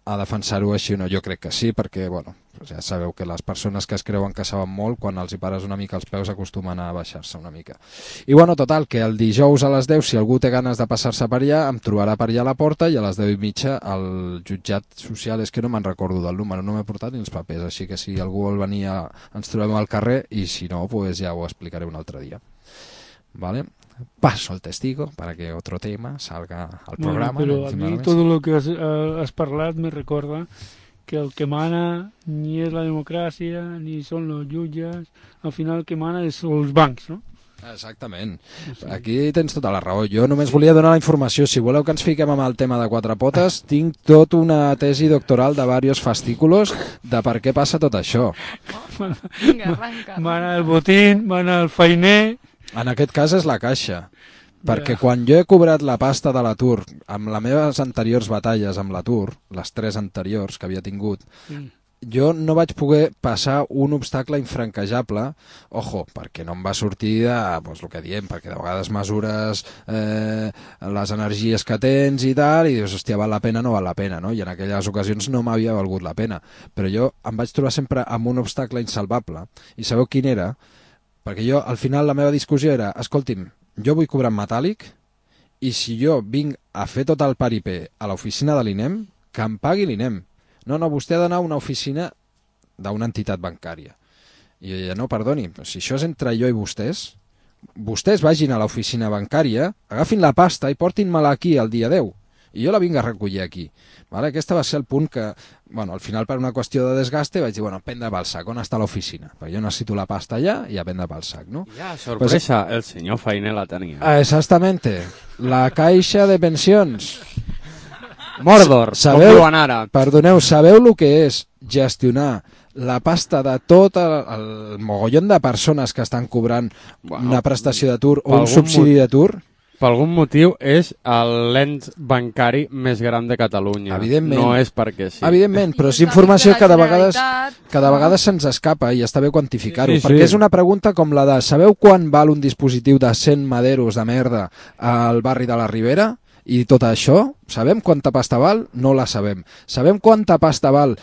a defensar-ho així o no. Jo crec que sí, perquè bueno, ja sabeu que les persones que es creuen que saben molt, quan els hi pares una mica els peus acostumen a baixar-se una mica. I bueno, total, que el dijous a les 10, si algú té ganes de passar-se per allà, em trobarà per allà a la porta, i a les 10:30 al jutjat social, és que no me'n recordo del número, no m'he portat ni els papers, així que si algú vol venir ens trobem al carrer, i si no, pues ja ho explicaré un altre dia. ¿Vale? Paso al testigo para que otro tema salga al programa. Pero a mí todo lo que has parlat me recorda que el que mana ni és la democràcia ni són els jutges, al final el que mana són els bancs, no? Exactament. Aquí tens tota la raó. Jo només volia donar la informació. Si voleu que ens fiquem amb el tema de quatre potes, tinc tota una tesi doctoral de diversos fascículos de per què passa tot això. Mana el botín, mana el feiner... En aquest cas és la caixa. Perquè quan jo he cobrat la pasta de l'atur, amb les meves anteriors batalles amb l'atur, les 3 anteriors que havia tingut, jo no vaig poder passar un obstacle infranquejable, ojo, perquè no em va sortir de, pues, el que diem, perquè de vegades mesures les energies que tens i tal, i dius, hòstia, val la pena, no val la pena, no? I en aquelles ocasions no m'havia valgut la pena. Però jo em vaig trobar sempre amb un obstacle insalvable, i sabeu quin era? Perquè jo, al final, la meva discussió era, escolti'm, jo vull cobrar en metàl·lic, i si jo vinc a fer tot el paripé a l'oficina de l'INEM, que em pagui l'INEM. No, vostè ha d'anar a una oficina d'una entitat bancària. I jo deia, no, perdoni, si això és entre jo i vostès vagin a l'oficina bancària, agafin la pasta i portin-me-la aquí el dia 10. I jo la vinc a recollir aquí. Vale? Aquest va ser el punt que, bueno, al final per una qüestió de desgaste vaig dir, bueno, prendre pel sac, on està l'oficina? Perquè jo necessito la pasta allà i a prendre pel sac, ¿no? Ja, sorpresa, pues, el senyor Feiner la tenia. Exactamente. La caixa de pensions. Mordor, sabeu, com diuen ara. Perdoneu, sabeu el que és gestionar la pasta de tot el mogollon de persones que estan cobrant una prestació d'atur o un subsidi d'atur? Per algun motiu és l'ens bancari més gran de Catalunya. Evidentment. No és perquè sí. Evidentment, però és informació que de vegades se'ns escapa i està bé quantificar-ho. Sí. Perquè és una pregunta com la de sabeu quan val un dispositiu de 100 maderos de merda al barri de la Ribera? I tot això, sabem quanta pasta val? No la sabem. Sabem quanta pasta val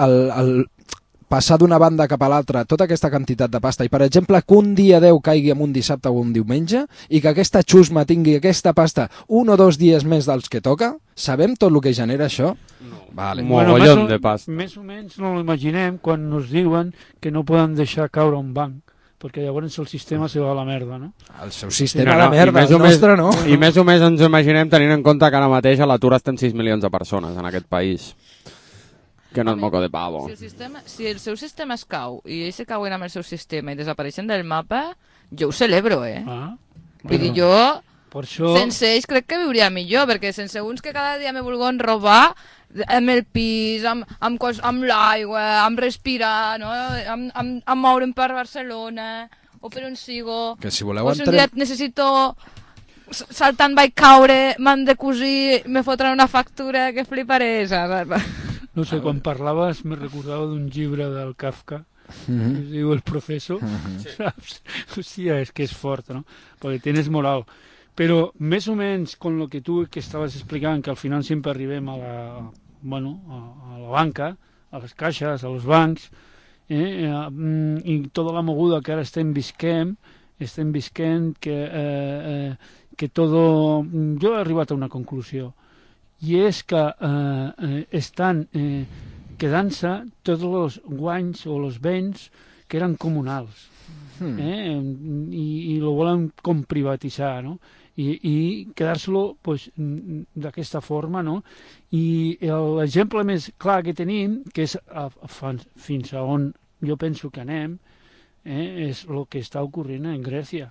el passar d'una banda cap a l'altra tota aquesta quantitat de pasta, i per exemple que un dia 10 caigui en un dissabte o un diumenge i que aquesta xusma tingui aquesta pasta 1 o 2 dies més dels que toca, sabem tot el que genera això? No. Vale. Mogollon de pasta. Més o menys no l'imaginem quan ens diuen que no poden deixar caure un banc, perquè llavors el sistema se va a la merda, no? El seu sistema a la merda, el nostre no. I més o més ens ho imaginem tenint en compte que ara mateix a l'atur estem 6 milions de persones en aquest país. Que no és moco de pavo. Si el seu sistema es cau i ells se cauen amb el seu sistema i desapareixen del mapa, jo ho celebro, Vull dir, jo sense ells crec que viuria millor, perquè sense uns que cada dia me vulguin robar amb el pis, amb l'aigua, amb respirar, no? amb moure'm per Barcelona o per on sigo, que si voleu o si un dia necessito saltant vaig caure, m'han de cosir, me fotran una factura que fliparé, saps? No sé, quan parlaves me recordava d'un llibre del Kafka, que es diu El Professor, saps? Hòstia, és que és fort, no? Perquè tens moral. Però més o menys con lo que tu que estaves explicant, que al final sempre arribem a la banca, a les caixes, a los bancs, i tota la moguda que ara estem visquent que todo... Jo he arribat a una conclusió, i és que estan quedant-se tots els guanys o els béns que eren comunals, i lo volen com privatitzar, no? I quedar-se-lo pues, d'aquesta forma, no? I l'exemple més clar que tenim, que és fins a on jo penso que anem, és el que està ocorrent en Grècia,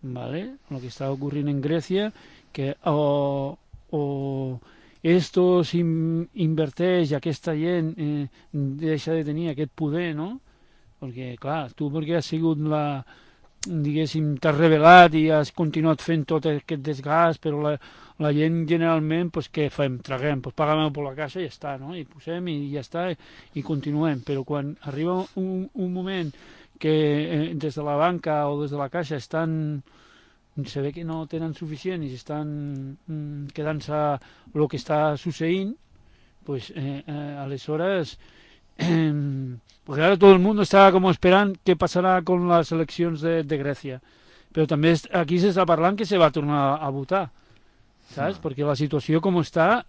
¿vale? El que està ocorrent en Grècia, que o estos inverteix, aquesta gent deixa de tenir aquest poder, no? Perquè, clar, tu perquè has sigut diguéssim, t'has rebel·lat i has continuat fent tot aquest desgast, però la gent generalment, pues, què fem? Traguem, pues, paguem per la caixa i ja està, no? I posem i ja està, i continuem. Però quan arriba un moment que des de la banca o des de la caixa se ve que no tenen suficient i estan quedant-se el que està succeint, pues aleshores porque ahora todo el mundo está como esperant què passarà con les eleccions de Grècia, però també aquí s'està parlant que se va tornar a votar, saps? Perquè la situació com està,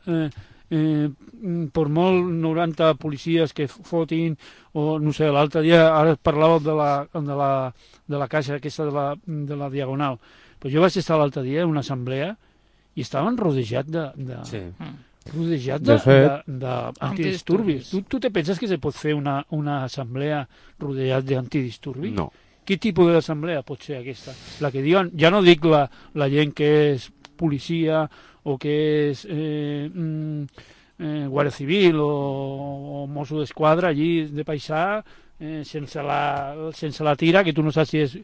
per molt 90 policies que fotin, o no sé, l'altre dia ara parlàveu de la caixa aquesta de la Diagonal, però jo vaig estar l'altre dia en una assemblea i estaven rodejats d'antidisturbis. Tu te penses que se pot fer una assemblea rodejat d'antidisturbis? No. Quin tipus d'assemblea pot ser aquesta? La que diuen, ja no dic la gent que és policia o que és Guàrdia Civil o Mosso d'Esquadra allí de paisà sense la tira, que tu no saps si és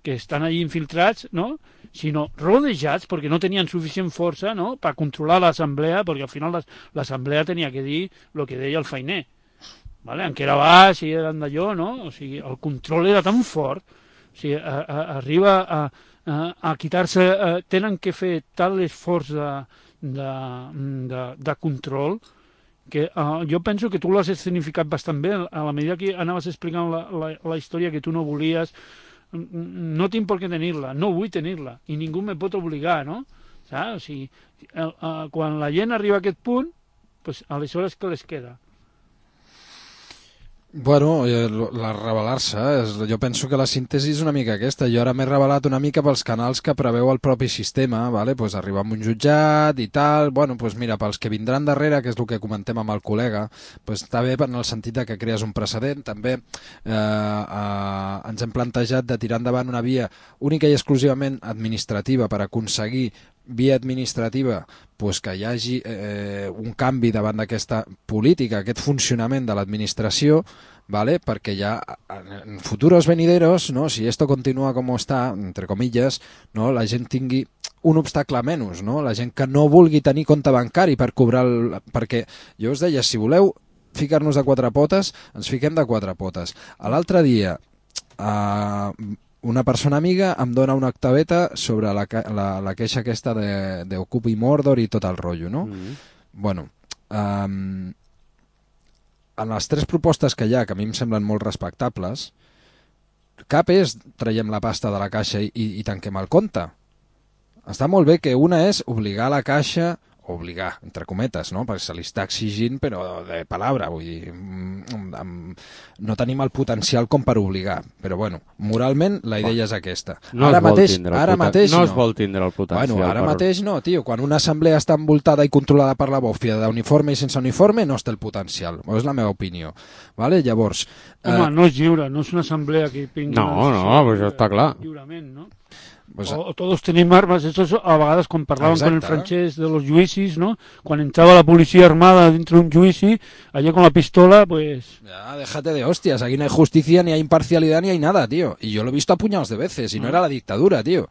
que estan allí infiltrats, no? Sinó rodejats perquè no tenien suficient força, no?, per controlar l'assemblea, perquè al final l'assemblea tenia que dir el que deia el feiner, vale? En què era baix i eren d'allò, no? O sigui, el control era tan fort, o sigui, arriba a quitar-se, tenen que fer tal esforç de control que jo penso que tu l'has escenificat bastant bé a la medida que anaves explicant la història que tu no volies. No tinc per què tenir-la, no vull tenir-la i ningú me pot obligar, no? Saps? O sigui, quan la gent arriba a aquest punt, pues, aleshores què les queda? Bueno, la revelar-se, jo penso que la síntesi és una mica aquesta. Jo ara m'he revelat una mica pels canals que preveu el propi sistema, vale? Pues arribar a un jutjat i tal, bueno, pues mira, pels que vindran darrere, que és el que comentem amb el col·lega, pues està bé en el sentit que crees un precedent. També ens hem plantejat de tirar endavant una via única i exclusivament administrativa per aconseguir via administrativa pues, que hi hagi un canvi davant d'aquesta política, aquest funcionament de l'administració, ¿vale? Perquè ja en futuros venideros, ¿no? Si esto continúa como está, entre comillas, ¿no? La gent tingui un obstacle menys, no? La gent que no vulgui tenir compte bancari per cobrar perquè jo us deia, si voleu ficar-nos de quatre potes, ens fiquem de quatre potes. L'altre dia una persona amiga em dona una octaveta sobre la queixa aquesta d'Ocupi Mordor i tot el rotllo, no? Bueno, en les tres propostes que hi ha, que a mi em semblen molt respectables, cap és traiem la pasta de la caixa i tanquem el compte. Està molt bé que una és obligar la caixa, obligar, entre cometes, no? Perquè se li està exigint, però de palabra, vull dir, no tenim el potencial com per obligar, però bueno, moralment la idea és aquesta. No ara mateix no es vol tindre el potencial. Bueno, ara mateix no, tio, quan una assemblea està envoltada i controlada per la bòfia d'uniforme i sense uniforme, no es té el potencial, és la meva opinió, vale? Llavors... Home, no és lliure, no és una assemblea que tingui... No, però això està clar. Lliurement, no? Pues, o todos tenim armes, eso a vegades quan parlaven exacte, con el francès de los juicis, ¿no? Quan entrava la policia armada dentro de un juici, allá con la pistola, pues... Ya, déjate de hostias, aquí no hay justicia, ni hay imparcialidad, ni hay nada, tío. Y yo lo he visto a puñados de veces, y no era la dictadura, tío.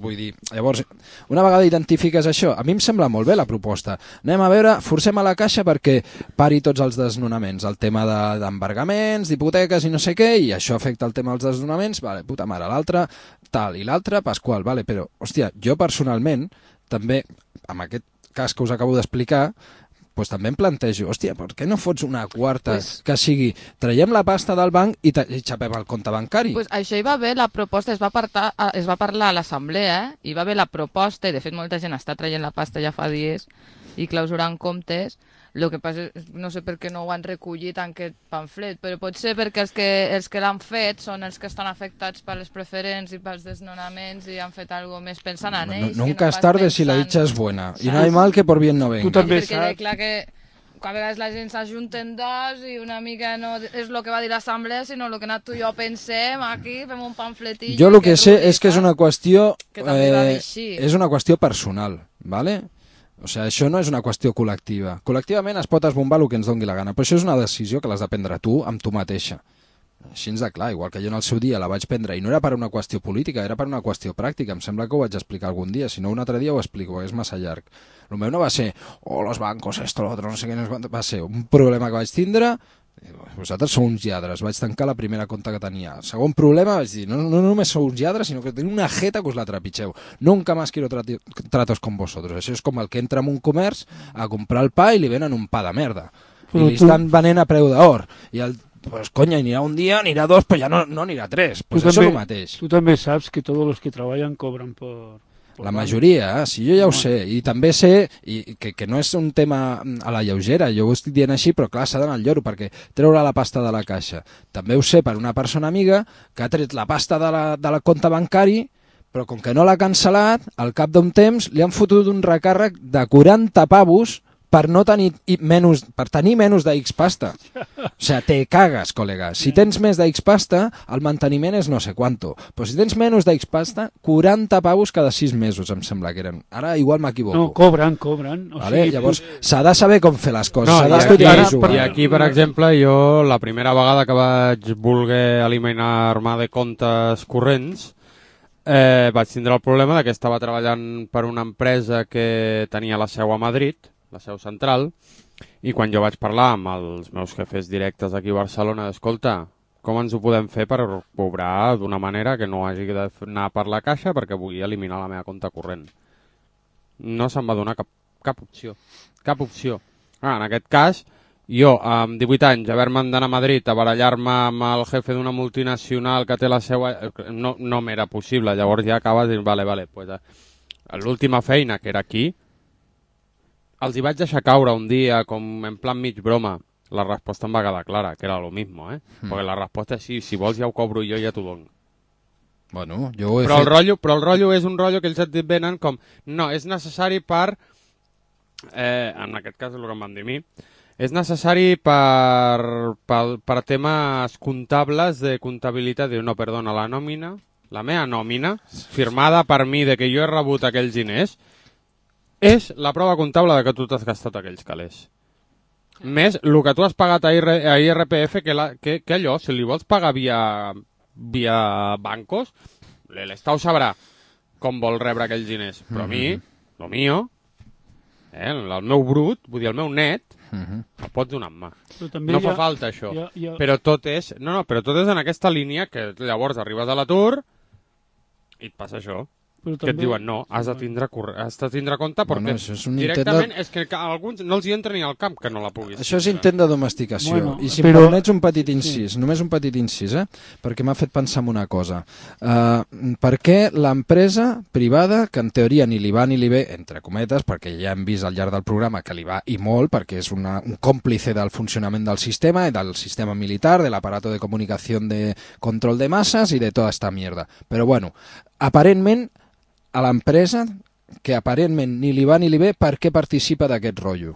Vull dir, llavors, una vegada identifiques això, a mi em sembla molt bé la proposta. Anem a veure, forcem a la caixa perquè pari tots els desnonaments, el tema d'embargaments, d'hipoteques i no sé què, i això afecta el tema dels desnonaments, vale, puta mare, l'altre tal, i l'altre Pasqual, vale, però, hòstia, jo personalment, també, amb aquest cas que us acabo d'explicar, pues també em plantejo, hòstia, per què no fots una quarta que sigui, traiem la pasta del banc i xapem el compte bancari? Pues això hi va haver la proposta, es va parlar a l'assemblea, hi va haver la proposta, i de fet molta gent està traient la pasta ja fa dies i clausurant comptes. El que passa és, no sé per què no ho han recollit en aquest pamflet, però pot ser perquè els que l'han fet són els que estan afectats per les preferents i pels desnonaments i han fet alguna més pensant en ells. Nunca es tarde si la dicha es buena. I no hay mal que por bien no venga. Tu també perquè clar que a vegades la gent s'ajunten dos i una mica no és el que va dir l'assemblea, sinó el que tu i jo pensem aquí, fem un pamfletillo... Jo el que sé és que és una qüestió... és una qüestió personal, ¿vale? O sigui, això no és una qüestió col·lectiva. Col·lectivament es pot esbombar el que ens doni la gana, però això és una decisió que l'has de prendre tu amb tu mateixa. Així ens de clar, igual que jo en el seu dia la vaig prendre, i no era per una qüestió política, era per una qüestió pràctica. Em sembla que ho vaig explicar algun dia, si no un altre dia ho explico, és massa llarg. El meu no va ser, los bancos, esto, lo otro, no sé què, va ser un problema que vaig tindre, vosaltres sou uns lladres, vaig tancar la primera compta que tenia. El segon problema, vaig dir, no només sou uns lladres, sinó que teniu una jeta que us la trepitgeu. Nunca más quiero tratos con vosotros. Això és com el que entra en un comerç a comprar el pa i li venen un pa de merda. I li estan venent a preu d'or. I pues coña, anirà un dia, anirà dos, però ja no anirà tres. Pues això és el mateix. Tu també saps que tots els que treballen cobren por... La majoria, sí, jo ja ho sé, i també sé que no és un tema a la lleugera, jo ho estic dient així, però clar, s'ha d'anar al lloro, perquè treure la pasta de la caixa. També ho sé per una persona amiga que ha tret la pasta de la compte bancari, però com que no l'ha cancel·lat, al cap d'un temps li han fotut un recàrrec de 40 pavos per tenir menys de X pasta. O sigui, te cagues, col·lega. Si tens més de X pasta, el manteniment és no sé quanto. Però si tens menys de X pasta, 40 pavos cada 6 mesos, em sembla que eren. Ara igual m'equivoco. No, cobren. Vale? Llavors, s'ha de saber com fer les coses. I aquí, per exemple, jo la primera vegada que vaig voler eliminar-me de comptes corrents, vaig tindre el problema que estava treballant per una empresa que tenia la seu a Madrid, la seu central, i quan jo vaig parlar amb els meus jefes directes aquí a Barcelona, d'escolta, com ens ho podem fer per cobrar d'una manera que no hagi d'anar per la caixa perquè vull eliminar la meva compte corrent. No se'm va donar cap opció. Cap opció. En aquest cas, jo, amb 18 anys, haver-me d'anar a Madrid a barallar-me amb el jefe d'una multinacional que té la seu... No m'era possible. Llavors ja acabes dient, vale, pues, l'última feina, que era aquí, els hi vaig deixar caure un dia, com en plan mig broma. La resposta em va quedar clara, que era lo mismo, Perquè la resposta és sí, si vols ja ho cobro jo, ja t'ho dono. Bueno, jo ho he però fet... el rotllo és un rotllo que ells et venen com, no, és necessari per... en aquest cas és el que em van dir a mi. És necessari per temes comptables de comptabilitat. Diu, no, perdona, la meva nòmina, firmada per mi de que jo he rebut aquells diners, és la prova comptable de que tu t'has gastat aquells calés. Més el que tu has pagat a IRPF, que allò, si li vols pagar via bancos, l'Estau sabrà com vol rebre aquells diners. Però a mi, el mío, el meu brut, vull dir, el meu net, el pots donar en mà. No fa falta això. Però tot és en aquesta línia que llavors arribes a l'atur i et passa això. Que et diuen, no, has de tindre compte perquè directament és que a alguns no els hi entra ni al camp que no la puguis. Això és intent de domesticació. I si em permets un petit incís, només un petit incís, perquè m'ha fet pensar en una cosa. Per què l'empresa privada, que en teoria ni li va ni li ve, entre cometes, perquè ja hem vist al llarg del programa que li va i molt, perquè és un còmplice del funcionament del sistema i del sistema militar, de l'aparato de comunicació de control de masses i de tota esta mierda. Però bueno, aparentment a l'empresa, que aparentment ni li va ni li ve, per què participa d'aquest rotllo?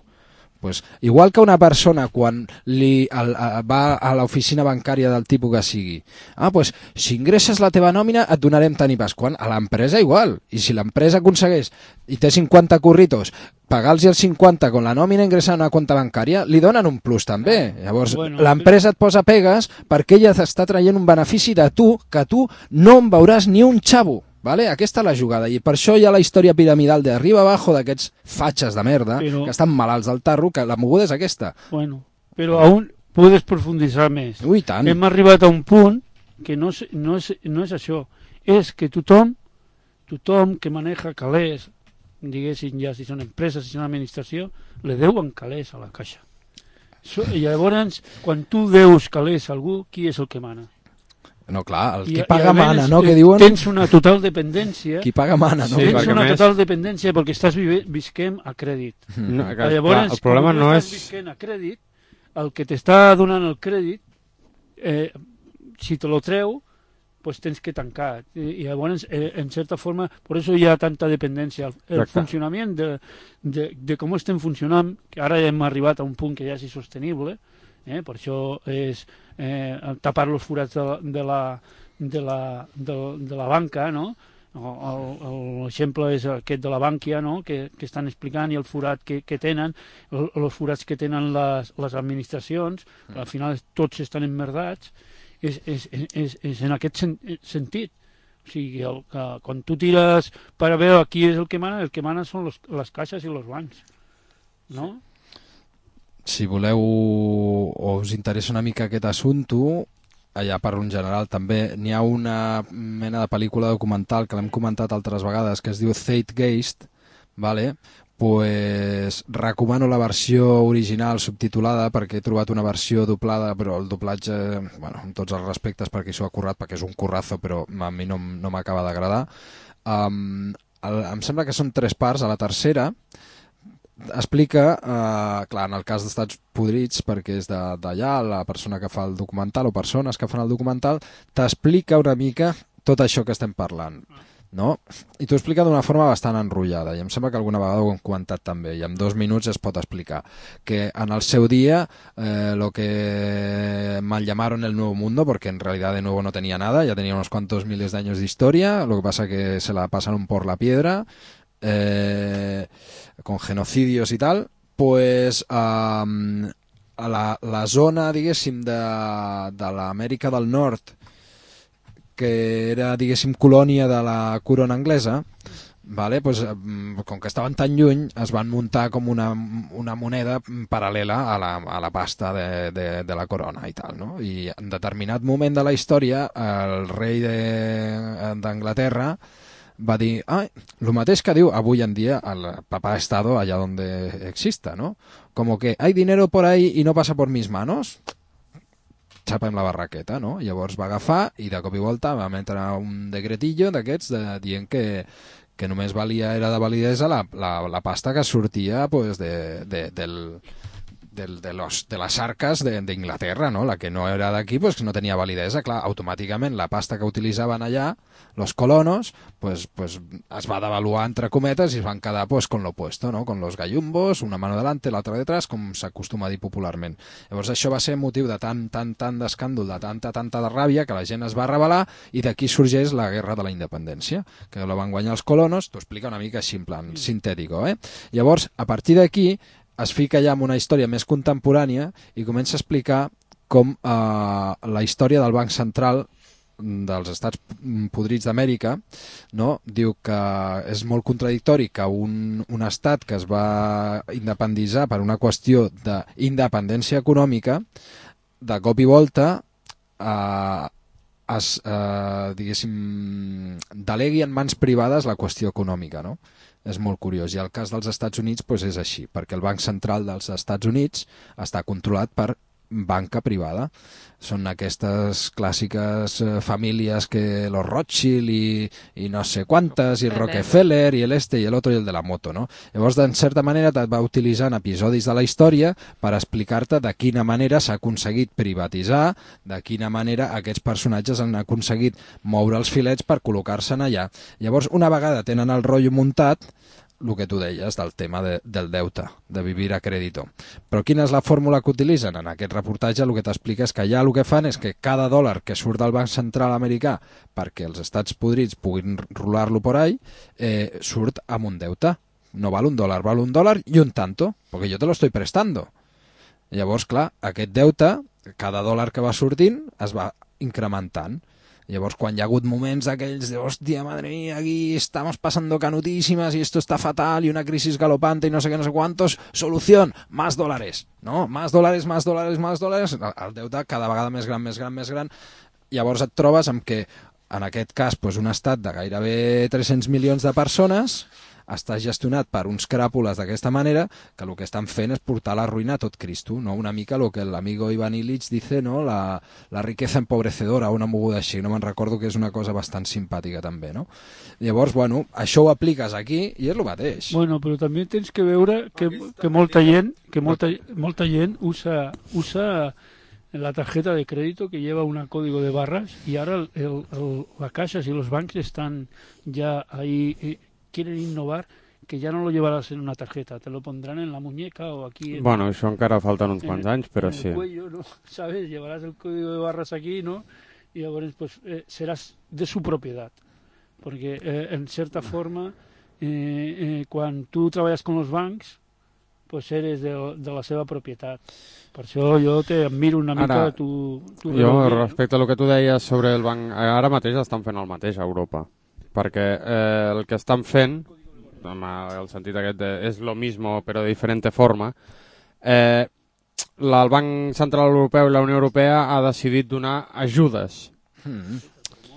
Pues, igual que una persona quan va a l'oficina bancària del tipus que sigui, pues, si ingresses la teva nòmina et donarem tant i pas quant. A l'empresa igual, i si l'empresa aconsegueix i té 50 curritos, pagar-los els 50 con la nòmina ingressar a una compte bancària, li donen un plus també. Llavors, l'empresa et posa pegues perquè ella t'està traient un benefici de tu, que tu no en veuràs ni un xavo. Vale? Aquesta és la jugada, i per això hi ha la història piramidal d'arriba abajo d'aquests fatxes de merda, que estan malalts del tarro, que la moguda és aquesta. Bueno, però aún puedes profundizar més. Ui, tant. Hem arribat a un punt que no és això, és que tothom que maneja calés, diguéssim ja si són empreses, si són administració, le deuen calés a la caixa. I llavors, quan tu deus calés a algú, qui és el que mana? No, clar, el qui paga mana, no? Que diuen... Tens una total dependència. Qui paga mana, no? Tens una total dependència perquè estàs visquent a crèdit. Llavors, el problema no és... visquent a crèdit, el que t'està donant el crèdit, si te lo treu, pues tens que tancar. I llavors, en certa forma, per això hi ha tanta dependència. El funcionament de com estem funcionant, que ara hem arribat a un punt que ja és insostenible, per això és tapar els forats de la banca, no? L'exemple és aquest de la Bànquia, no? que estan explicant, i el forat que tenen, els forats que tenen les administracions, al final tots estan emmerdats, és en aquest sentit. O sigui, quan tu tires per a veure qui és el que mana són les caixes i els bancs, no? si voleu o us interessa una mica aquest assumpte, allà per un general també, n'hi ha una mena de pel·lícula documental que l'hem comentat altres vegades que es diu Zeitgeist, vale? Pues recomano la versió original subtitulada perquè he trobat una versió doblada, però el doblatge, bueno, amb tots els respectes perquè s'ho ha currat, perquè és un currazo, però a mi no m'acaba d'agradar. Em sembla que són 3 parts. A la tercera explica, clar, en el cas d'Estats Podrits, perquè és d'allà, la persona que fa el documental, o persones que fan el documental, t'explica una mica tot això que estem parlant, no? I t'ho explica d'una forma bastant enrotllada, i em sembla que alguna vegada ho hem comentat també, i en 2 minuts es pot explicar que en el seu dia lo que mal llamaron el Nuevo Mundo, porque en realidad de nuevo no tenía nada, ya tenía unos cuantos miles de años de historia, lo que pasa que se la pasaron por la piedra, con genocidios i tal, pues a la zona, diguéssim, de l'Amèrica del Nord, que era, diguéssim, colònia de la corona anglesa, vale? Pues, com que estaven tan lluny, es van muntar com una moneda paral·lela a la pasta de la corona i tal, no? I en determinat moment de la història, el rei d'Anglaterra va dir, el mateix que diu avui en dia el papá Estado allá donde exista, ¿no? Como que hay dinero por ahí y no pasa por mis manos, xapem la barraqueta, no? Llavors va agafar i de cop i volta va emetre un decretillo d'aquests dient que només era de validesa la pasta que sortia pues, de las arcas d'Inglaterra, ¿no? La que no era d'aquí, pues que no tenia validesa. Clar, automàticament la pasta que utilitzaven allà, los colonos, pues es va devaluar entre cometes i es van quedar pues con lo opuesto, ¿no? Con los gallumbos, una mano delante, l'altra detrás, com s'acostuma a dir popularment. Llavors això va ser motiu de tant d'escàndol, de tanta de ràbia, que la gent es va rebel·lar i d'aquí sorgeix la guerra de la independència, que la van guanyar els colonos. T'ho explica una mica així, en plan sintètico, eh? Llavors, a partir d'aquí, es fica ja en una història més contemporània i comença a explicar com la història del Banc Central dels Estats Podrits d'Amèrica, no? Diu que és molt contradictori que un estat que es va independitzar per una qüestió d'independència econòmica, de cop i volta diguéssim, delegui en mans privades la qüestió econòmica, no? És molt curiós, i el cas dels Estats Units pues, és així, perquè el Banc Central dels Estats Units està controlat per banca privada. Són aquestes clàssiques famílies que los Rothschild i no sé quantes, i el Rockefeller, i l'este i l'altre i el de la moto, no? Llavors, en certa manera, et va utilitzant episodis de la història per explicar-te de quina manera s'ha aconseguit privatitzar, de quina manera aquests personatges han aconseguit moure els filets per col·locar-se'n allà. Llavors, una vegada tenen el rotllo muntat, el que tu deies del tema del deute, de vivir a crèdito. Però quina és la fórmula que utilitzen? En aquest reportatge el que t'explica és que allà el que fan és que cada dòlar que surt del Banc Central americà perquè els Estats Podrits puguin rolar-lo por ahí, surt amb un deute. No val $1, val $1 i un tanto, perquè jo te lo estoy prestando. Llavors, clar, aquest deute, cada dòlar que va sortint, es va incrementant. Llavors, quan hi ha hagut moments aquells de hòstia, madre mía, aquí estamos pasando canutísimas y esto está fatal y una crisis galopante y no sé qué, no sé cuántos, solución, más dólares, ¿no? Más dólares, más dólares, más dólares, el deute cada vegada més gran, més gran, més gran. Llavors et trobes amb que, en aquest cas, pues, un estat de gairebé 300 milions de persones està gestionat per uns cràpules d'aquesta manera que el que estan fent és portar la ruïna a tot Cristo, no? Una mica el que l'amigo Ivan Illich dice, no? La riqueza empobrecedora, una moguda així, no me'n recordo, que és una cosa bastant simpàtica també, no? Llavors, bueno, això ho apliques aquí i és el mateix. Bueno, però també tens que veure que molta gent usa la tarjeta de crédito que lleva un código de barras y ahora las cajas y los bancos están ya ahí, quieren innovar, que ya no lo llevarás en una tarjeta, te lo pondrán en la muñeca o aquí bueno, això encara falten uns quants anys, però en el cuello, ¿no? ¿Sabes? Llevarás el código de barras aquí, ¿no? Y ahora pues serás de su propiedad, porque en cierta forma quan tu treballes con los bancs pues eres de la seva propietat. Per això jo t'admiro una mica tu jo, respecte a lo que tu deies sobre el banc, ara mateix estan fent el mateix a Europa, perquè el que estan fent, amb el sentit aquest de és lo mismo però de diferente forma, el Banc Central Europeu i la Unió Europea ha decidit donar ajudes.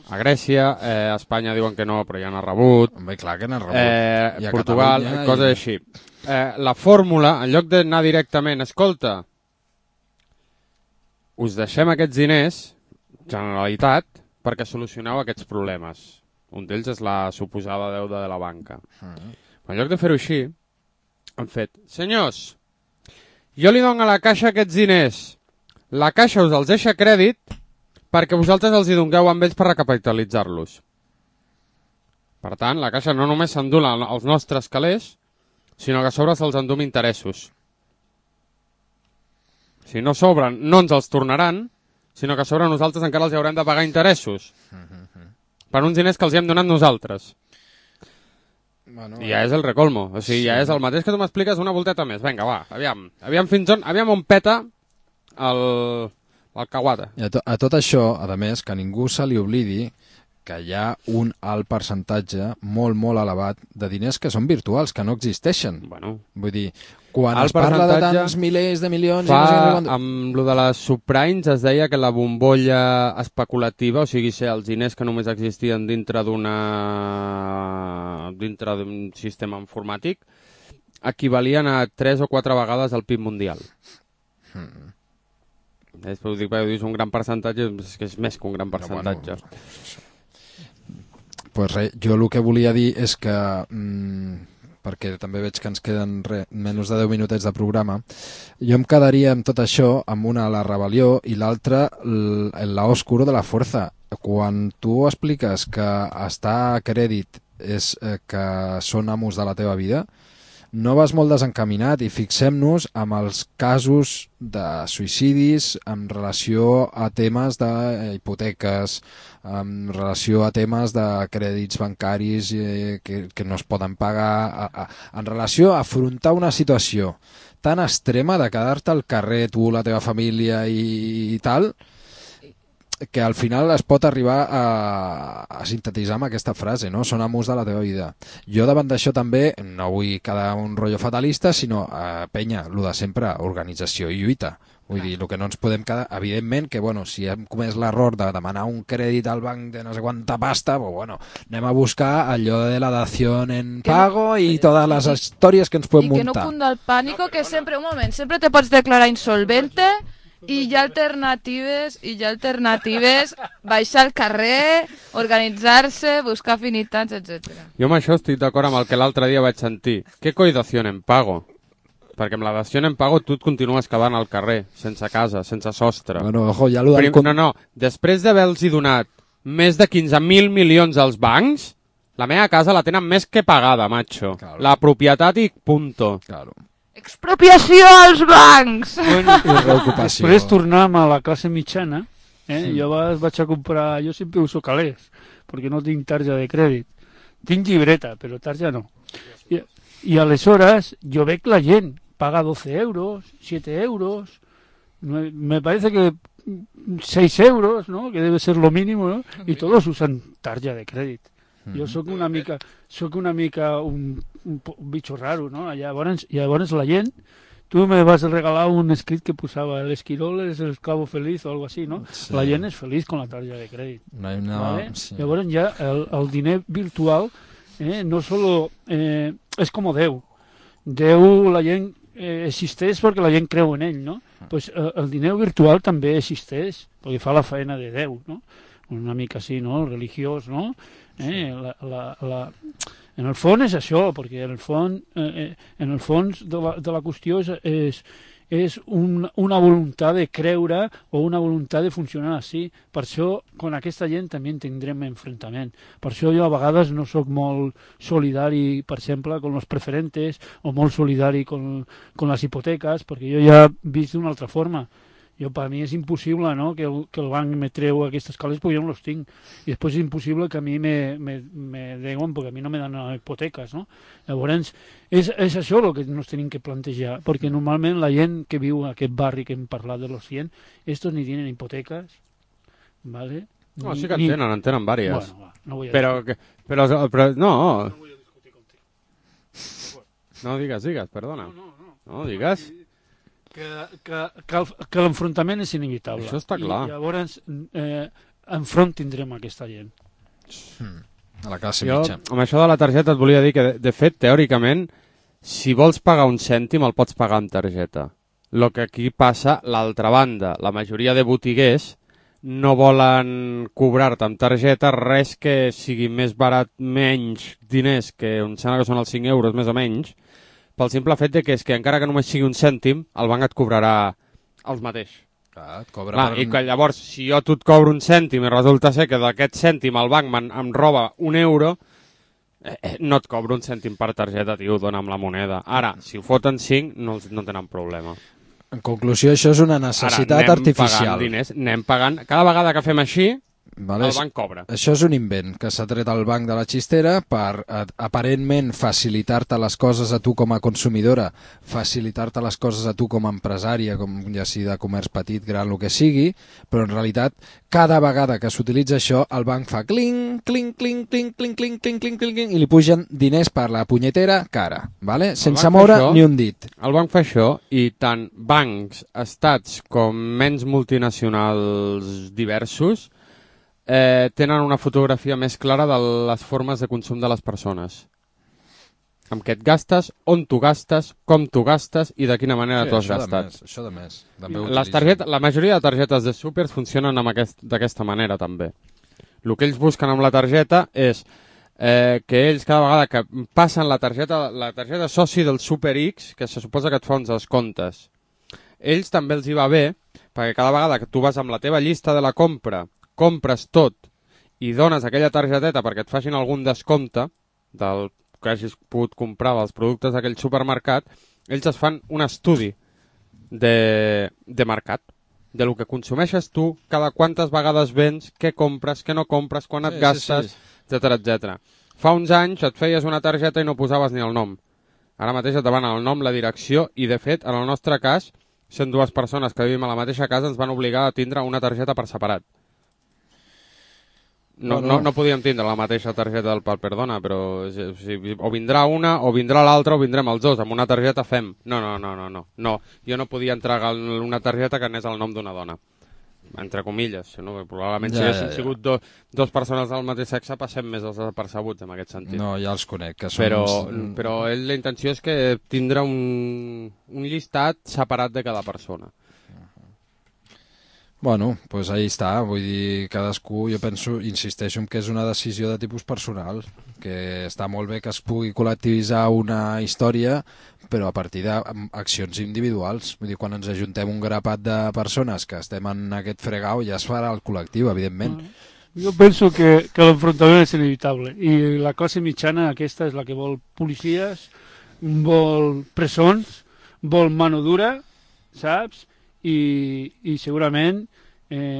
A Grècia, a Espanya diuen que no, però ja n'ha rebut. Home, clar que n'ha rebut. Portugal, coses així. La fórmula, en lloc d'anar directament, escolta, us deixem aquests diners, Generalitat, perquè solucioneu aquests problemes. Un d'ells és la suposada deuda de la banca. En lloc de fer-ho així, han fet, senyors, jo li dono a la Caixa aquests diners, la Caixa us els deixa crèdit perquè vosaltres els hi dongueu amb ells per recapitalitzar-los. Per tant, la Caixa no només s'endú els nostres calés, sinó que a sobre se'ls endú amb interessos. Si no sobren, no ens els tornaran, sinó que a sobre nosaltres encara els haurem de pagar interessos. Per uns diners que els hi hem donat nosaltres. Bueno, I ja és el recolmo. O sigui, ja és el mateix que tu m'expliques una volteta més. Vinga, va, aviam on peta el caguata. I a tot això, a més, que ningú se li oblidi que hi ha un alt percentatge molt, molt elevat de diners que són virtuals, que no existeixen. Bueno, vull dir, quan es parla de tants milers de milions... Amb lo de les subprimes es deia que la bombolla especulativa, o sigui, els diners que només existien dintre d'un sistema informàtic, equivalien a 3 o 4 vegades el PIB mundial. Després ho dic perquè dius un gran percentatge, és que és més que un gran percentatge. Pues res, jo el que volia dir és que, perquè també veig que ens queden menys de 10 minutets de programa, jo em quedaria amb tot això, amb una la rebel·lió i l'altra el lado oscuro de la fuerza. Quan tu expliques que estar a crèdit és que són amos de la teva vida, no vas molt desencaminat i fixem-nos amb els casos de suïcidis en relació a temes d'hipoteques, en relació a temes de crèdits bancaris que no es poden pagar, en relació a afrontar una situació tan extrema de quedar-te al carrer, tu, la teva família i tal, que al final es pot arribar a sintetitzar amb aquesta frase, no? Són amos de la teva vida. Jo davant d'això també no vull quedar un rotllo fatalista, sinó penya, el de sempre, organització i lluita. Vull dir, el que no ens podem quedar, evidentment que, bueno, si hem comès l'error de demanar un crèdit al banc de no sé quanta pasta, pues bueno, anem a buscar allò de la dación en pago i totes les històries que ens podem muntar. I que no cunda el pànico, que sempre, un moment, sempre te pots declarar insolvente i hi ha alternatives, baixar al carrer, organitzar-se, buscar afinitats, etc. Jo amb això estic d'acord amb el que l'altre dia vaig sentir. Què coi dació en pago? Perquè amb la dació en pago tu et continues quedant al carrer, sense casa, sense sostre. Bueno, ojo, ja lo No, després d'haver-los donat més de 15.000 milions als bancs, la meva casa la tenen més que pagada, macho. Claro. La propietat i punto. Claro. Expropiació als bancs! Bueno, després tornem a la classe mitjana. Jo vaig a comprar... Jo sempre uso calés, perquè no tinc tarja de crèdit. Tinc llibreta, però tarja no. I aleshores jo veig la gent paga 12 euros, 7 euros, me parece que 6 euros, ¿no? Que debe ser lo mínimo, ¿no? Y todos usan tarja de crèdit. Jo sóc una mica un bicho raro, no? Llavors la gent, tu me vas regalar un escrit que posava el esquirol és el esclavo feliz o algo así, no? Sí. La gent és feliç con la tarja de crèdit. ¿Vale? Sí. Llavors ja el diner virtual no solo és com Déu. Déu, la gent existeix perquè la gent creu en ell, no? Pues el diner virtual també existeix perquè fa la feina de Déu, no? Una mica així, no? Religiós, no? En el fons és això, perquè en el fons de la qüestió és una voluntat de creure o una voluntat de funcionar així. Per això, con aquesta gent també tindrem enfrontament. Per això jo a vegades no sóc molt solidari, per exemple, con los preferentes o molt solidari con les hipoteques, perquè jo ja he vist d'una altra forma. Per mi és impossible, no?, que el banc me treu aquestes calés perquè jo no los tinc. I després és impossible que a mi me deuen perquè a mi no me donen hipoteques, no? Llavors, és això el que ens tenim que plantejar, perquè normalment la gent que viu en aquest barri que hem parlat de los 100, estos ni tienen hipotecas, ¿vale? No, sí que en tenen vàries. Bueno, no voy a però no. No voy a discutir contigo. No, digues, perdona. No, digues. que l'enfrontament és inevitable. Això està clar. I llavors enfront tindrem aquesta gent. A la classe mitja. Amb això de la targeta et volia dir que, de fet, teòricament, si vols pagar un cèntim, el pots pagar amb targeta. El que aquí passa, l'altra banda, la majoria de botiguers no volen cobrar-te amb targeta res que sigui més barat, menys diners, que em sembla que són els 5 euros més o menys, pel simple fet de que és que encara que només sigui un cèntim, el banc et cobrarà els mateix. Clar, et cobra I que llavors, si jo tu et cobro un cèntim i resulta ser que d'aquest cèntim el banc em roba un euro, no et cobro un cèntim per targeta, tio, dona'm la moneda. Ara, si ho foten 5, no tenen problema. En conclusió, això és una necessitat artificial. Anem pagant. Cada vegada que fem així, vale? El banc cobra. Això és un invent que s'ha tret al banc de la xistera per aparentment facilitar-te les coses a tu com a consumidora, facilitar-te les coses a tu com a empresària, com ja sigui de comerç petit, gran, el que sigui, però en realitat cada vegada que s'utilitza això el banc fa cling, cling, cling, cling, cling, cling, cling, cling, cling, cling, i li pugen diners per la punyetera cara, vale? Sense moure ni un dit. El banc fa això i tant bancs, estats com menys multinacionals diversos tenen una fotografia més clara de les formes de consum de les persones. Amb què et gastes, on tu gastes, com tu gastes i de quina manera tu has gastat. Això de més. La majoria de targetes de súpers funcionen d'aquesta manera també. El que ells busquen amb la targeta és que ells cada vegada que passen la targeta soci del Super X, que se suposa que et fa uns descomptes, ells també els hi va bé, perquè cada vegada que tu vas amb la teva llista de la compra, compres tot i dones aquella targeteta perquè et facin algun descompte del que hagis pogut comprar dels productes d'aquell supermercat, ells es fan un estudi de mercat, de lo que consumeixes tu, cada quantes vegades vens, què compres, què no compres, quan et gastes, etc. Fa uns anys et feies una targeta i no posaves ni el nom. Ara mateix et demanen el nom, la direcció i, de fet, en el nostre cas, sent dues persones que vivim a la mateixa casa, ens van obligar a tindre una targeta per separat. No podíem tindre la mateixa targeta del pal, perdona, però o vindrà una, o vindrà l'altra, o vindrem els dos. Amb una targeta fem. No. Jo no podia entregar una targeta que anés al nom d'una dona. Entre comilles. No? Probablement si haguessin sigut dos persones del mateix sexe passem més els desapercebuts en aquest sentit. No, ja els conec. Que són però la intenció és que tindrà un llistat separat de cada persona. Bueno, doncs ahí està, vull dir, cadascú, jo penso, insisteixo en que és una decisió de tipus personal, que està molt bé que es pugui col·lectivitzar una història, però a partir d'accions individuals. Vull dir, quan ens ajuntem un grapat de persones que estem en aquest fregau, ja es farà el col·lectiu, evidentment. Jo penso que l'enfrontament és inevitable, i la classe mitjana aquesta és la que vol policies, vol presons, vol mano dura, saps? I segurament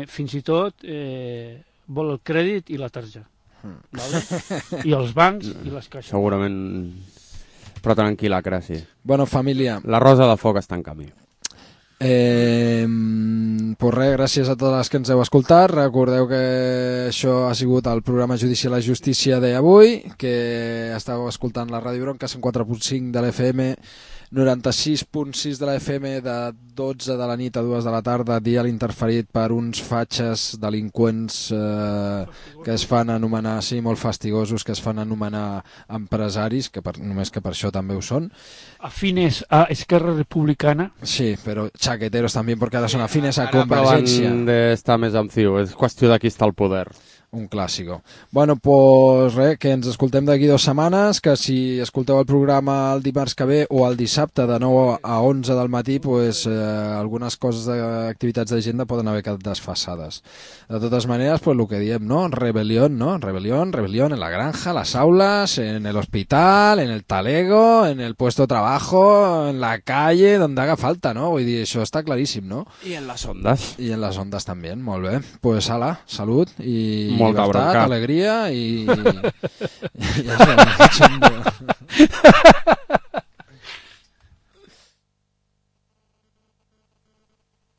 fins i tot vol el crèdit i la tarja, vale? I els bancs i les caixes. Segurament, però tranquil·la, Crasi. Bueno, família. La rosa de foc està en camí. Pues res, gràcies a totes les que ens heu escoltat. Recordeu que això ha sigut el programa Judici a la Justícia d'avui, que estàveu escoltant la Ràdio Bronca 104.5 de l'FM, 96.6 de la FM, de 12 de la nit a 2 de la tarda, dial interferit per uns fatxes delinqüents que es fan anomenar, sí, molt fastigosos, que es fan anomenar empresaris, que només que per això també ho són. Afines a Esquerra Republicana. Sí, però chaqueteros també, perquè ara són afines a Convergència. Ara d'estar més amb ciu, és qüestió de qui està al poder. Un clàssico. Bueno, pues res, que ens escoltem d'aquí 2 setmanes, que si escolteu el programa el dimarts que ve o el dissabte de 9 a 11 del matí, pues algunes coses d'activitats d'agenda poden haver quedat desfasades. De totes maneres, pues lo que diem, ¿no? Rebelión, ¿no? Rebelión en la granja, las aulas, en el hospital, en el talego, en el puesto de trabajo, en la calle, donde haga falta, ¿no? Vull dir, això està claríssim, no? I en les ondes. I en les ondes també, molt bé. Pues ala, salut i molta llibertat, bronca, alegria i...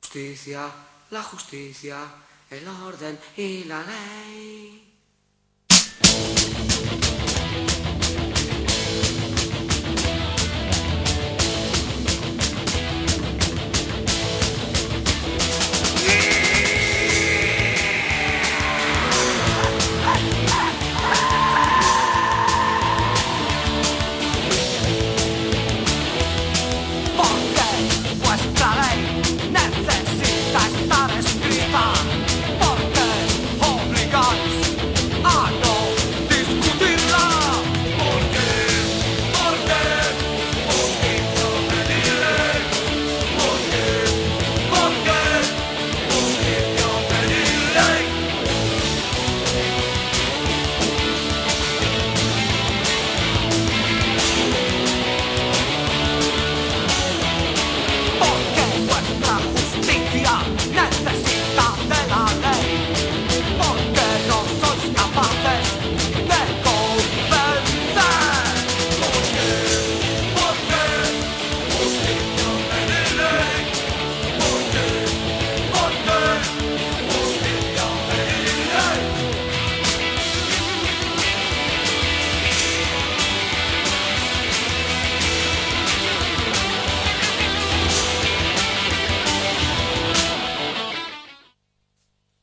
Justicia, la justicia, el orden y la ley.